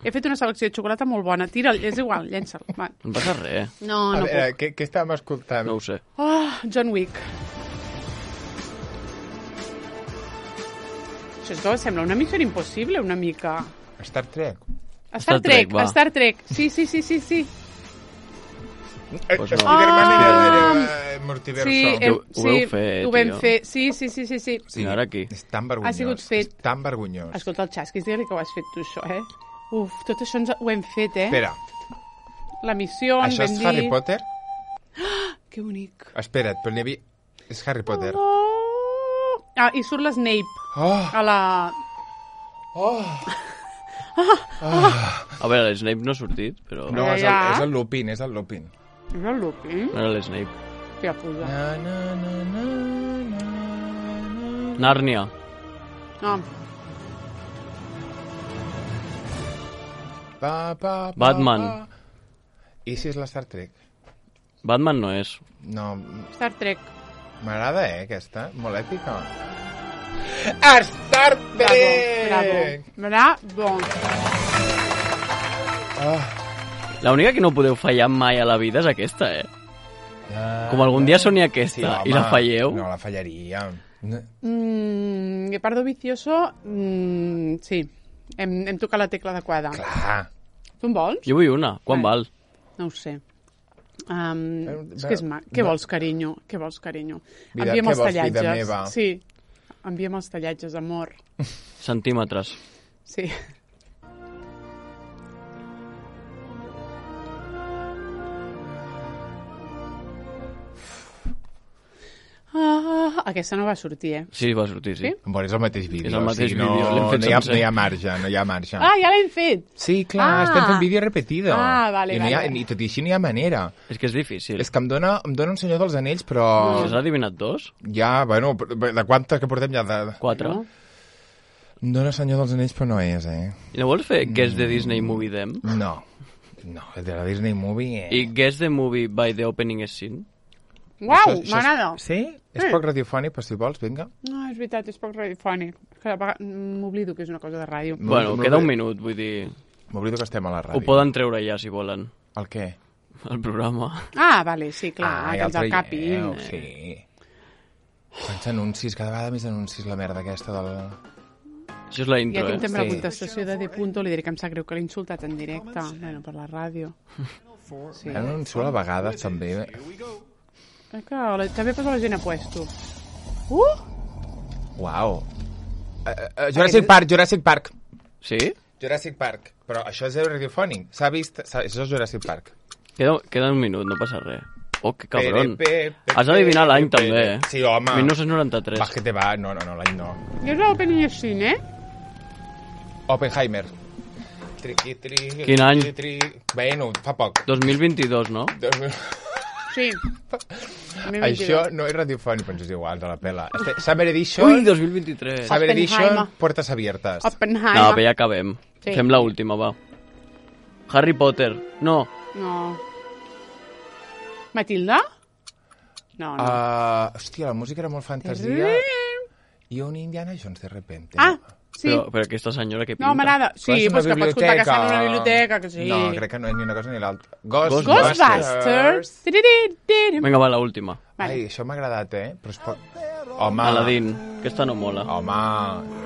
He fet una selecció de xocolata molt bona. Tira'l, és igual, llença'l. Va. No passa res. No, A no veure, puc. què, què estàvem escoltant? No ho sé. Oh, John Wick. Això és que sembla una missió impossible, una mica. Star Trek. Star, Star Trek, Trek, va. Star Trek. Sí, sí, sí, sí, sí. Pues no. Spider-Man Ah. era eh, multiverso. Sí, Ho- hem, ho sí, vau fer, ho vam tio. fer. Sí, sí, sí, sí, sí. Sí, I ara aquí? És tan vergonyós. Ha sigut fet. És tan vergonyós. Escolta, el Xasquis, digue-li que ho has fet tu, això, eh? Uf, tot això ens ho hem fet, eh? Espera, La missió, això és vam Harry dir... Potter? Que bonic. Espera't, però n'hi havia... És Harry Potter. Oh! Ah, i surt l'Snape Oh! a la... Oh! A veure, l'Snape no ha sortit, però... No, Ja, és el, ja. és el Lupin, és el Lupin. És el Lupin? No era l'Snape. Que puja. Na, na, na, na, na, na. Nàrnia. No, Pa, pa, pa, Batman. Pa. I si és la Star Trek? Batman no és. No, Star Trek. m'agrada, eh, aquesta. Molt èpica. Star Trek! Bravo, bravo. Oh. L'única que no podeu fallar mai a la vida és aquesta, eh? Com algun dia soni aquesta i la falleu... No, la fallaria. No. Mm, Guepardo Vicioso, mm, sí. Hem, hem tocat la tecla adequada. Clar. Tu en vols? Jo vull una. Quan Vale. val? No ho sé. Um, Eh, és que és mac. Què no. vols, carinyo? Què vols, carinyo? Vida, Envia'm què els vols, vida tallatges. meva? Sí. Envia'm els tallatges, amor. Centímetres. Sí. Ah, aquesta no va sortir, eh? Sí, va sortir, sí. Sí? Bon, és el mateix vídeo. És el mateix o sigui, no, vídeo, l'hem fet no, hi ha, sencer. no hi ha marge, no hi ha marge. Ah, ja l'hem fet! Sí, clar, Ah. estem fent vídeo repetido. Ah, vale, I, no hi ha, vale. I tot i així no hi ha manera. És que és difícil. És que em dona, em dona un senyor dels anells, però Si has adivinat dos? ja, bueno, de quantes que portem ja de... Quatre. No? Em dona senyor dels anells, però no és, eh? I no vols fer Guess the Disney Movie Them? No. No, de la Disney Movie... Eh? I Guess the Movie by the Opening Scene? Uau, Això- això és- m'agrada. Sí? És Sí. poc radiofònic, però si vols, vinga. No, és veritat, és poc radiofònic. Que a vegades m'oblido que és una cosa de ràdio. No, Bueno, no queda ve- un minut, vull dir... M'oblido que estem a la ràdio. Ho poden treure ja, si volen. El què? El programa. Ah, vale, sí, clar, Ah, que ja ens el el capin. traieu, sí. Quants anuncis, cada vegada més anuncis, la merda aquesta del... Això és la Ja intro, tinc eh? també la Sí. contestació de D. Punto, li diré que em sap greu que l'he insultat en directe, bueno, per la ràdio. Sí. Anuncio a vegades, també. Crec que la, també posa la gent a puesto. Uh! Uau. Uh, uh, Jurassic Park, Jurassic Park. Sí? Jurassic Park. Però això és radiofònic. S'ha vist... S'ha... Això és Jurassic Park. Queda, queda un minut, no passa res. Oh, que cabron. Pe, pe, pe, Has d'adivinar l'any, pe, també, pe. eh? Sí, home. dinou noranta-tres. Va, que te va. No, no, no, l'any no. Jo és l'opening scene, eh? Oppenheimer. Triqui, tri, Quin any? Tri, tri. Bueno, fa poc. dos mil vint-i-dos, no? Dos mil- Sí. Això no és radiofònic, però ens és igual, de la pela. Este, Summer Edition... Ui, dos mil vint-i-tres. Summer Edition, Oppenheimer. puertas abiertas. Oppenheimer. No, però ja acabem. Sí. Fem l'última, va. Harry Potter. No. No. Matilda? No, no. Uh, hòstia, la música era molt fantasia. I un Indiana Jones, de repente. Ah, sí. Però, però aquesta senyora que pinta. No, m'agrada. Sí, és pues que pots contar que està en una biblioteca, que sí. No, crec que no és ni una cosa ni l'altra. Ghost, Ghostbusters. Tiriririririm. Vinga, va, l'última. Vale. Ai, això m'ha agradat, eh? Però es pot... Home, Aladdin. Aquesta no mola. home,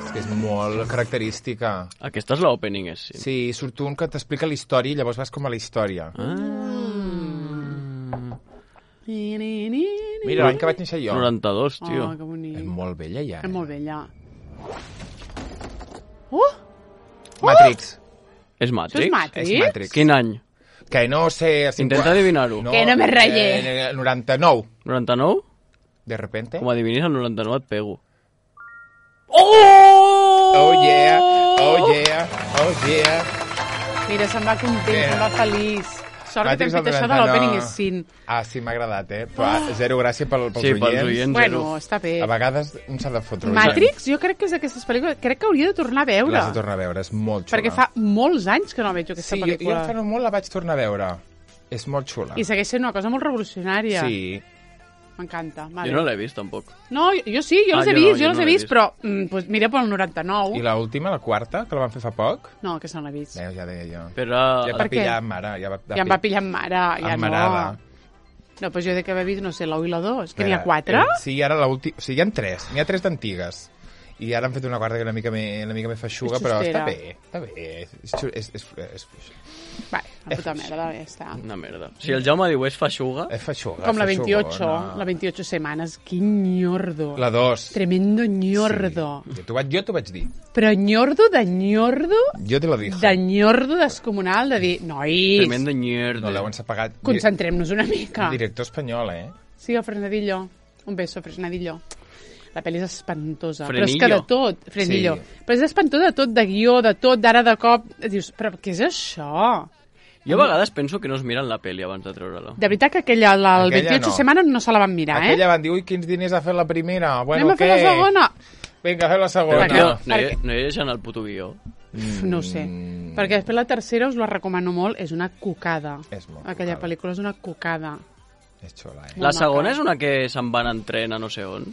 és que és molt característica. Aquesta és l'opening, és sí. Sí, surt un que t'explica la història i llavors vas com a la història. Ah. Mira, l'any que vaig néixer jo. noranta-dos, tio. Oh, que bonic. És molt vella, ja. És Eh? molt bella. Uh! Matrix. És Això Matrix? és Matrix? És Matrix. Quin any? Que no sé... Intenta adivinar-ho. Que no me ratlle. Eh, noranta-nou. noranta-nou? De repente. Com adivinis el noranta-nou et pego. Oh yeah, oh yeah, oh yeah. Mira, se'n va content, Mira. se'n va feliç. Sort que Matrix t'hem fet del això de noranta-nou. l'opening scene. Ah, sí, m'ha agradat, eh? Però oh. zero gràcia pel, pels Sí, oients. pels oients. Bueno, zero. està bé. A vegades un s'ha de fotre. Matrix, jo crec que és d'aquestes pel·lícules... Crec que hauria de tornar a veure. L'has de tornar a veure, és molt xula. Perquè fa molts anys que no veig aquesta Sí, jo, jo pel·lícula. fa no molt la vaig tornar a veure. És molt xula. I segueix sent una cosa molt revolucionària. Sí. M'encanta. Vale. Jo no l'he vist, tampoc. No, jo, jo sí, jo Ah, les he jo no, vist, jo jo les no he l'he vist, vist. però mm, pues mira pel noranta-nou. I l'última, la quarta, que la van fer fa poc? No, aquesta no l'he vist. Veus, ja deia jo. Però... Ja Per va què? pillar amb mare. Ja, va, Ja em va pillar amb mare, ja Emmarada. no. No, pues jo de que haver vist, no sé, l'u i la dos, que n'hi ha Espera, quatre. eh, Sí, ara l'última... O sigui, hi ha tres. N'hi ha tres d'antigues. I ara han fet una quarta que una mica més, una mica més feixuga, És però xustera. està bé, està bé. És, xu- és, és, és, Vale, la puta merda, ja està. Una merda. Si el Jaume diu és feixuga... és feixuga. Com la feixugona. veintiocho, la veintiocho semanas. Quin ñordo. La dos. Tremendo ñordo. Sí. Jo t'ho vaig, jo t'ho vaig dir. Però ñordo de ñordo, Jo te lo dije. de ñordo descomunal, de dir, nois, Tremendo mierda. No l'heu ensapagat. concentrem-nos una mica. Director espanyol, eh? Sí, el Fresnadillo. Un beso, Fresnadillo. La pel·li és espantosa. Frenillo. Però és que de tot, Frenillo. Sí. Però és espantosa de tot, de guió, de tot, d'ara de cop. Dius, però què és això? Jo a vegades penso que no es miren la pel·li abans de treure-la. De veritat que aquella, la, el Aquella veintiocho no. semanas no se la van mirar, Aquella eh? van dir, ui, quins diners ha fet la primera. Bueno, Anem a fer què? la segona? Vinga, a fer la Però segona. tio, no, no, hi, perquè- no hi deixen el puto guió. Uf, no ho sé. Mm. Perquè després la tercera us la recomano molt, és una cucada. És molt Aquella cucada. pel·lícula és una cucada. És xula, eh? Molt La segona maca. és una que se'n van en tren a no sé on?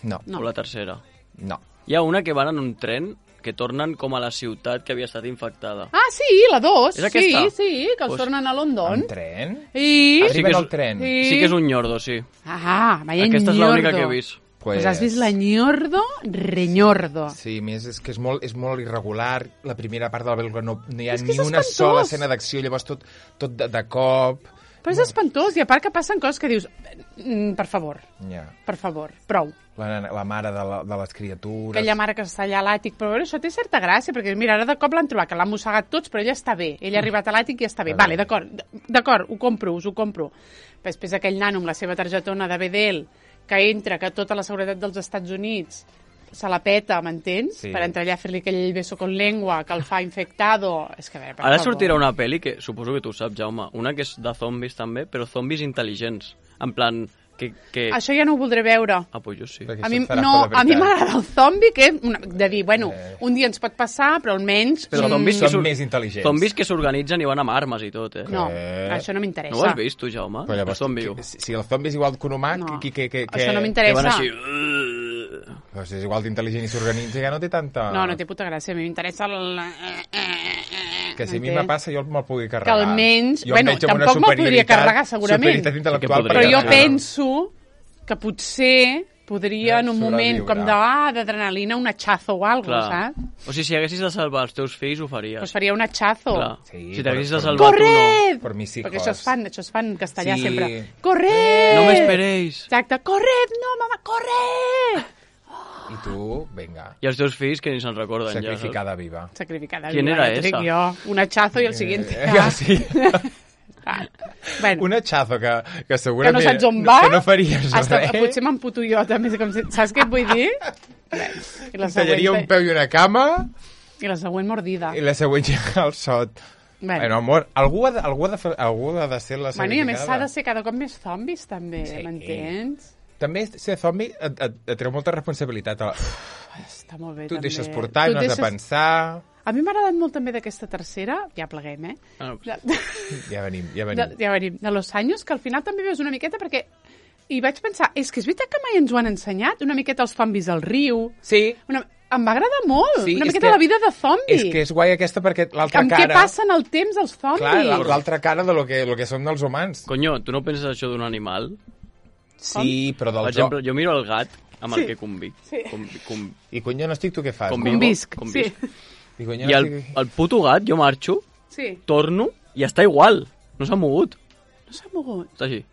No, No. O la tercera? no. Hi ha una que van en un tren que tornen com a la ciutat que havia estat infectada. Ah, sí, la dos. És aquesta? Sí, sí, que els Pues- tornen a London. En tren? I... Ah, sí Arriben que és- al tren? Sí. Sí que és un ñordo, sí. Ah, vaya Aquesta és ñordo. l'única que he vist. Pues has vist la ñordo, reñordo. Sí, a més, és que és molt, és molt irregular. La primera part de la pel·lícula no, no hi ha És que ni és una espantós. sola escena d'acció, llavors tot, tot de, de cop. Però és espantós, i a part que passen coses que dius, mm, per favor, Ja. per favor, prou. La, la mare de, la, de les criatures. Aquella mare que està allà a l'àtic, però veure, això té certa gràcia, perquè mira, ara de cop l'han trobat, que l'han mossegat tots, però ella està bé. Ella ha arribat a l'àtic i està bé. Ah, Vale, d'acord, d'acord, ho compro, us ho compro. Però després aquell nano amb la seva targetona de B D L, que entra, que tota la seguretat dels Estats Units se la peta, m'entens? Sí. Per entrar allà a fer-li aquell beso con lengua, que el fa infectado. És que, a veure, per Ara favor. sortirà una pel·li que suposo que tu saps, Jaume. Una que és de zombis també, però zombis intel·ligents. En plan, que... que... Això ja no ho voldré veure. Ah, pues jo sí. Perquè A això mi, et farà no, por de a mi veritat. m'agrada el zombi, que és una, de dir, bueno, Eh. un dia ens pot passar, però almenys... Però mm, zombis que Són sur- més intel·ligents. Zombis que s'organitzen i van amb armes i tot, eh? No, Eh. això no m'interessa. No ho has vist, tu, Jaume? Però llavors, El zombi. que- si, si el zombi és igual que un humà, No. que, que, que, que, Això no Que m'interessa. van així... Però si és igual d'intel·ligent i s'organitza, ja no té tanta... No, no té puta gràcia. A mi m'interessa el... eh, eh, eh, Que si a mi m'entens? me passa, jo me'l pugui Que carregar. almenys... Jo em Bueno, veig amb una tampoc me'l podria superioritat- carregar, segurament. superioritat intel·lectual, Sí que Però podria jo carregar. penso que potser podria en un moment Sobreviure. com de, ah, d'adrenalina, un hachazo o alguna cosa, Clar. saps? O sigui, si haguessis de salvar els teus fills, ho faries. Doncs faria un hachazo. Clar. Sí, si t'haguessis de per- salvar tu, no. Corred! Per mis hijos. Perquè això es fan, això es fan en castellà Sí. sempre. Corred! No m'esperéis. Exacte, corred, no, mama, corred! I tu, vinga, I els teus fills que ni se'n recorden sacrificada viva. Sacrificada. ¿Quién viva, era ja t'ho dic esa? Jo. Un hachazo i el siguiente. Eh, ja. sí. Ah, bueno, Un hachazo que, que que segurament... no saps on va. Que no faries Hasta, res. potser m'emputo jo també. Com si, saps què et vull dir? Bé, I la Tallaria un següent, peu i una cama i la següent mordida. i la següent ja al sot. Bueno. Bueno, amor, algú ha de, algú ha de, fer, algú ha de ser la Bueno, i a més s'ha sacrificada. de ser cada cop més zombis, també, Sí. m'entens? També ser zombi et, et, et treu molta responsabilitat. Està molt bé, Tu et també. deixes portar, Tu no et has de pensar... A mi m'ha agradat molt també d'aquesta tercera, ja pleguem, eh? Ah, De, Ja venim, ja de, venim. ja venim, de Los Años, que al final també veus una miqueta perquè... I vaig pensar, és que és veritat que mai ens ho han ensenyat, una miqueta els zombis al riu... Sí, Una... Em va agradar molt, Sí, una és miqueta que- la vida de zombi. és que és guai aquesta perquè l'altra Amb cara... què passa en el temps els zombis? Clar, la- l'altra cara de lo que, lo que som dels humans. Conyo, tu no penses això d'un animal? Sí, però Per dels... exemple, jo miro el gat amb el Sí. que convic. Sí. Convi, com, I cony, jo no estic, tu què fas? Convivo. Convisc, Convisc. sí. I, cony, I el, el puto gat, jo marxo, Sí, torno i està igual. No s'ha mogut. no s'ha mogut. Està així.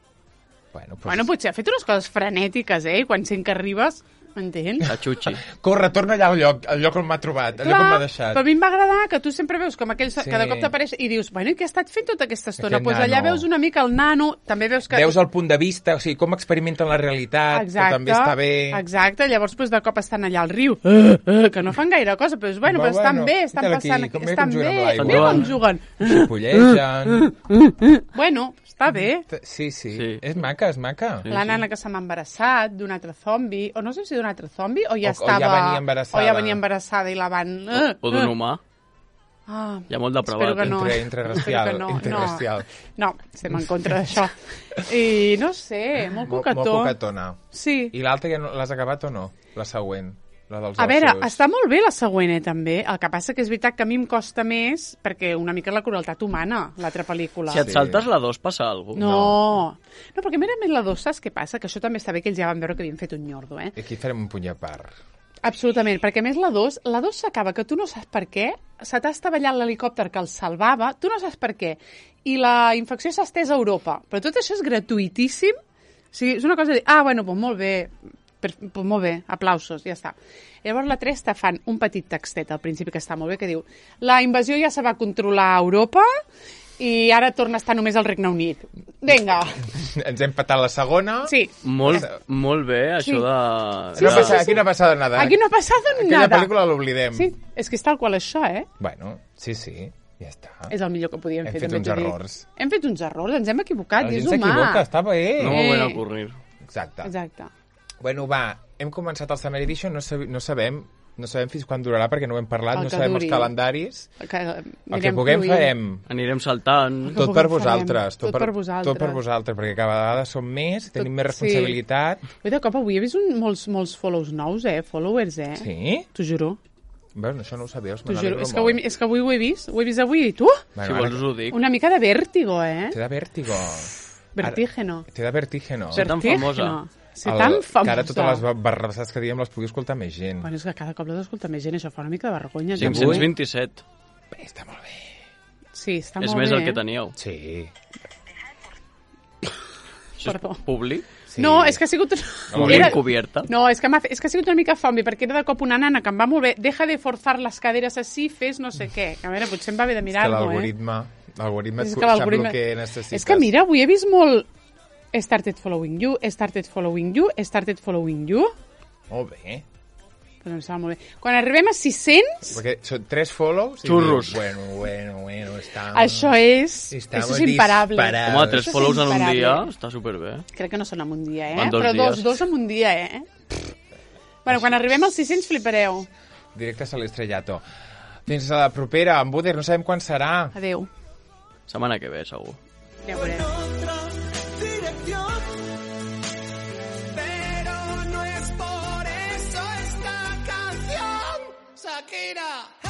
Bueno, pues... Bueno, potser ha fet unes coses frenètiques, eh? Quan sent que arribes, m'entens? La xuxi. Corre, torna allà al lloc, al lloc on m'ha trobat, al lloc on m'ha deixat. però a mi em va agradar que tu sempre veus com aquell... Sí. Sí. Cada cop t'apareix i dius, bueno, i què ha estat fent tota aquesta estona? Aquest Doncs pues allà nano. veus una mica el nano, també veus que... Veus el punt de vista, o sigui, com experimenten la realitat, Exacte, que també està bé. Exacte, llavors pues, de cop estan allà al riu, uh, uh, que no fan gaire cosa, però dius, bueno, Va, però estan bueno, bé, estan mira-la aquí, passant... com bé estan com juguen amb bé, l'aigua. mira com juguen. Xipollegen... Bueno, està bé. Sí, sí, Sí. és maca, és maca. Sí. La nana que se m'ha embarassat d'un altre zombi, o no sé si d'un altre zombi, o ja O- o ja estava... venia embarassada. O ja venia embarassada i la van... Uh, O d'un humà. Ah, Hi ha molt de espero prevat. que no. Entre- interracial, Espero que no, interracial. No, no, estem en contra d'això. I no sé, molt Mo- cocató. Molt cocatona. Sí. I l'altra ja no, l'has acabat o no? La següent, la dels A veure, ossos. està molt bé la següent, eh, també. El que passa que és veritat que a mi em costa més perquè una mica la crueltat humana, l'altra pel·lícula. Si et Sí. saltes la dos, passa alguna cosa. No. no, perquè mira més la dos, saps què passa? Que això també està bé que ells ja van veure que havien fet un nyordo, eh? I aquí farem un puny a part. Absolutament, perquè a més la dos, la dos s'acaba que tu no saps per què, se t'ha estavellat l'helicòpter que el salvava, tu no saps per què, i la infecció s'ha estès a Europa. Però tot això és gratuïtíssim. O sigui, és una cosa de dir, ah, bueno, doncs molt bé, per, doncs molt bé, aplausos, ja està. Llavors la tres te fan un petit textet al principi que està molt bé, que diu la invasió ja se va controlar a Europa i ara torna a estar només al Regne Unit. Vinga. Ens hem patat la segona. Sí. Molt, molt bé, això Sí. de... Aquí no, Sí, passa, sí, sí. aquí no ha passat nada. Aquí no ha passat Aquella nada. pel·lícula l'oblidem. Sí, és que és tal qual això, eh? Bueno, sí, sí, ja està. És el millor que podíem Hem fer. fet també uns t'ho dic. errors. Hem fet uns errors, ens hem equivocat, La i és gent humà. s'equivoca, està bé. No Eh. m'ho van ocurrir. Exacte. Exacte. Bueno, va, hem començat el Summer Edition, no, sab no sabem no sabem fins quan durarà perquè no ho hem parlat, El no que sabem duri. els calendaris. Que El que anirem puguem fluint. farem. Anirem saltant. Tot puguem per farem. vosaltres. Tot per vosaltres. Tot per vosaltres, perquè cada vegada som més, tenim més sí. responsabilitat. Ui, de cop avui he vist un, molts, molts follows nous, eh? Followers, eh? Sí? T'ho juro. Bueno, això no ho sabies, T'ho me juro. n'alegro És que, avui, molt. és que avui ho he vist. Ho he vist avui i tu? Si Bueno, vols ara ho dic. Una mica de vèrtigo, eh? Té de vèrtigo. Vertígeno. Té de vertígeno. Ser tan Vertígeno. famosa. Ser tan famosa. Que ara totes les barrabassades que diem les pugui escoltar més gent. Bueno, és que cada cop les escolta més gent, això fa una mica de vergonya. Sí, ja. cinc-cents vint-i-set. Bé, està molt bé. Sí, està És molt més bé. el que eh? teníeu. Sí. Això Perdó. és públic. sí. No, és que ha sigut... Molt Era- encubierta. No, és que, m'ha fe- és que ha sigut una mica zombi, perquè era de cop una nana que em va molt bé. Deja de forzar les caderes així, fes no sé què. A veure, potser em va bé de És que mirar-ho, eh? l'algoritme... L'algoritme És et que sap el l'algoritme- que necessites. És que mira, avui he vist molt... He started following you, he started following you, he started following you. Molt bé. Pues em sembla molt bé. Quan arribem a sis-cents, Perquè són tres follows... i Xurros. dius, Bueno, bueno, bueno, està... això és... Estamos Això és imparable. disparados. Home, tres Això és follows en un imparable. dia està superbé. Crec que no són en un dia, eh? En dos Però dos, dies. dos en un dia, eh? Bueno, quan arribem als sis-cents flipareu. Directes a l'estrellato. Fins a la propera, en Buder, no sabem quan serà. Adéu. Setmana que ve, segur. Ja ho veurem. otra dirección. Pero no es por eso esta canción, Shakira.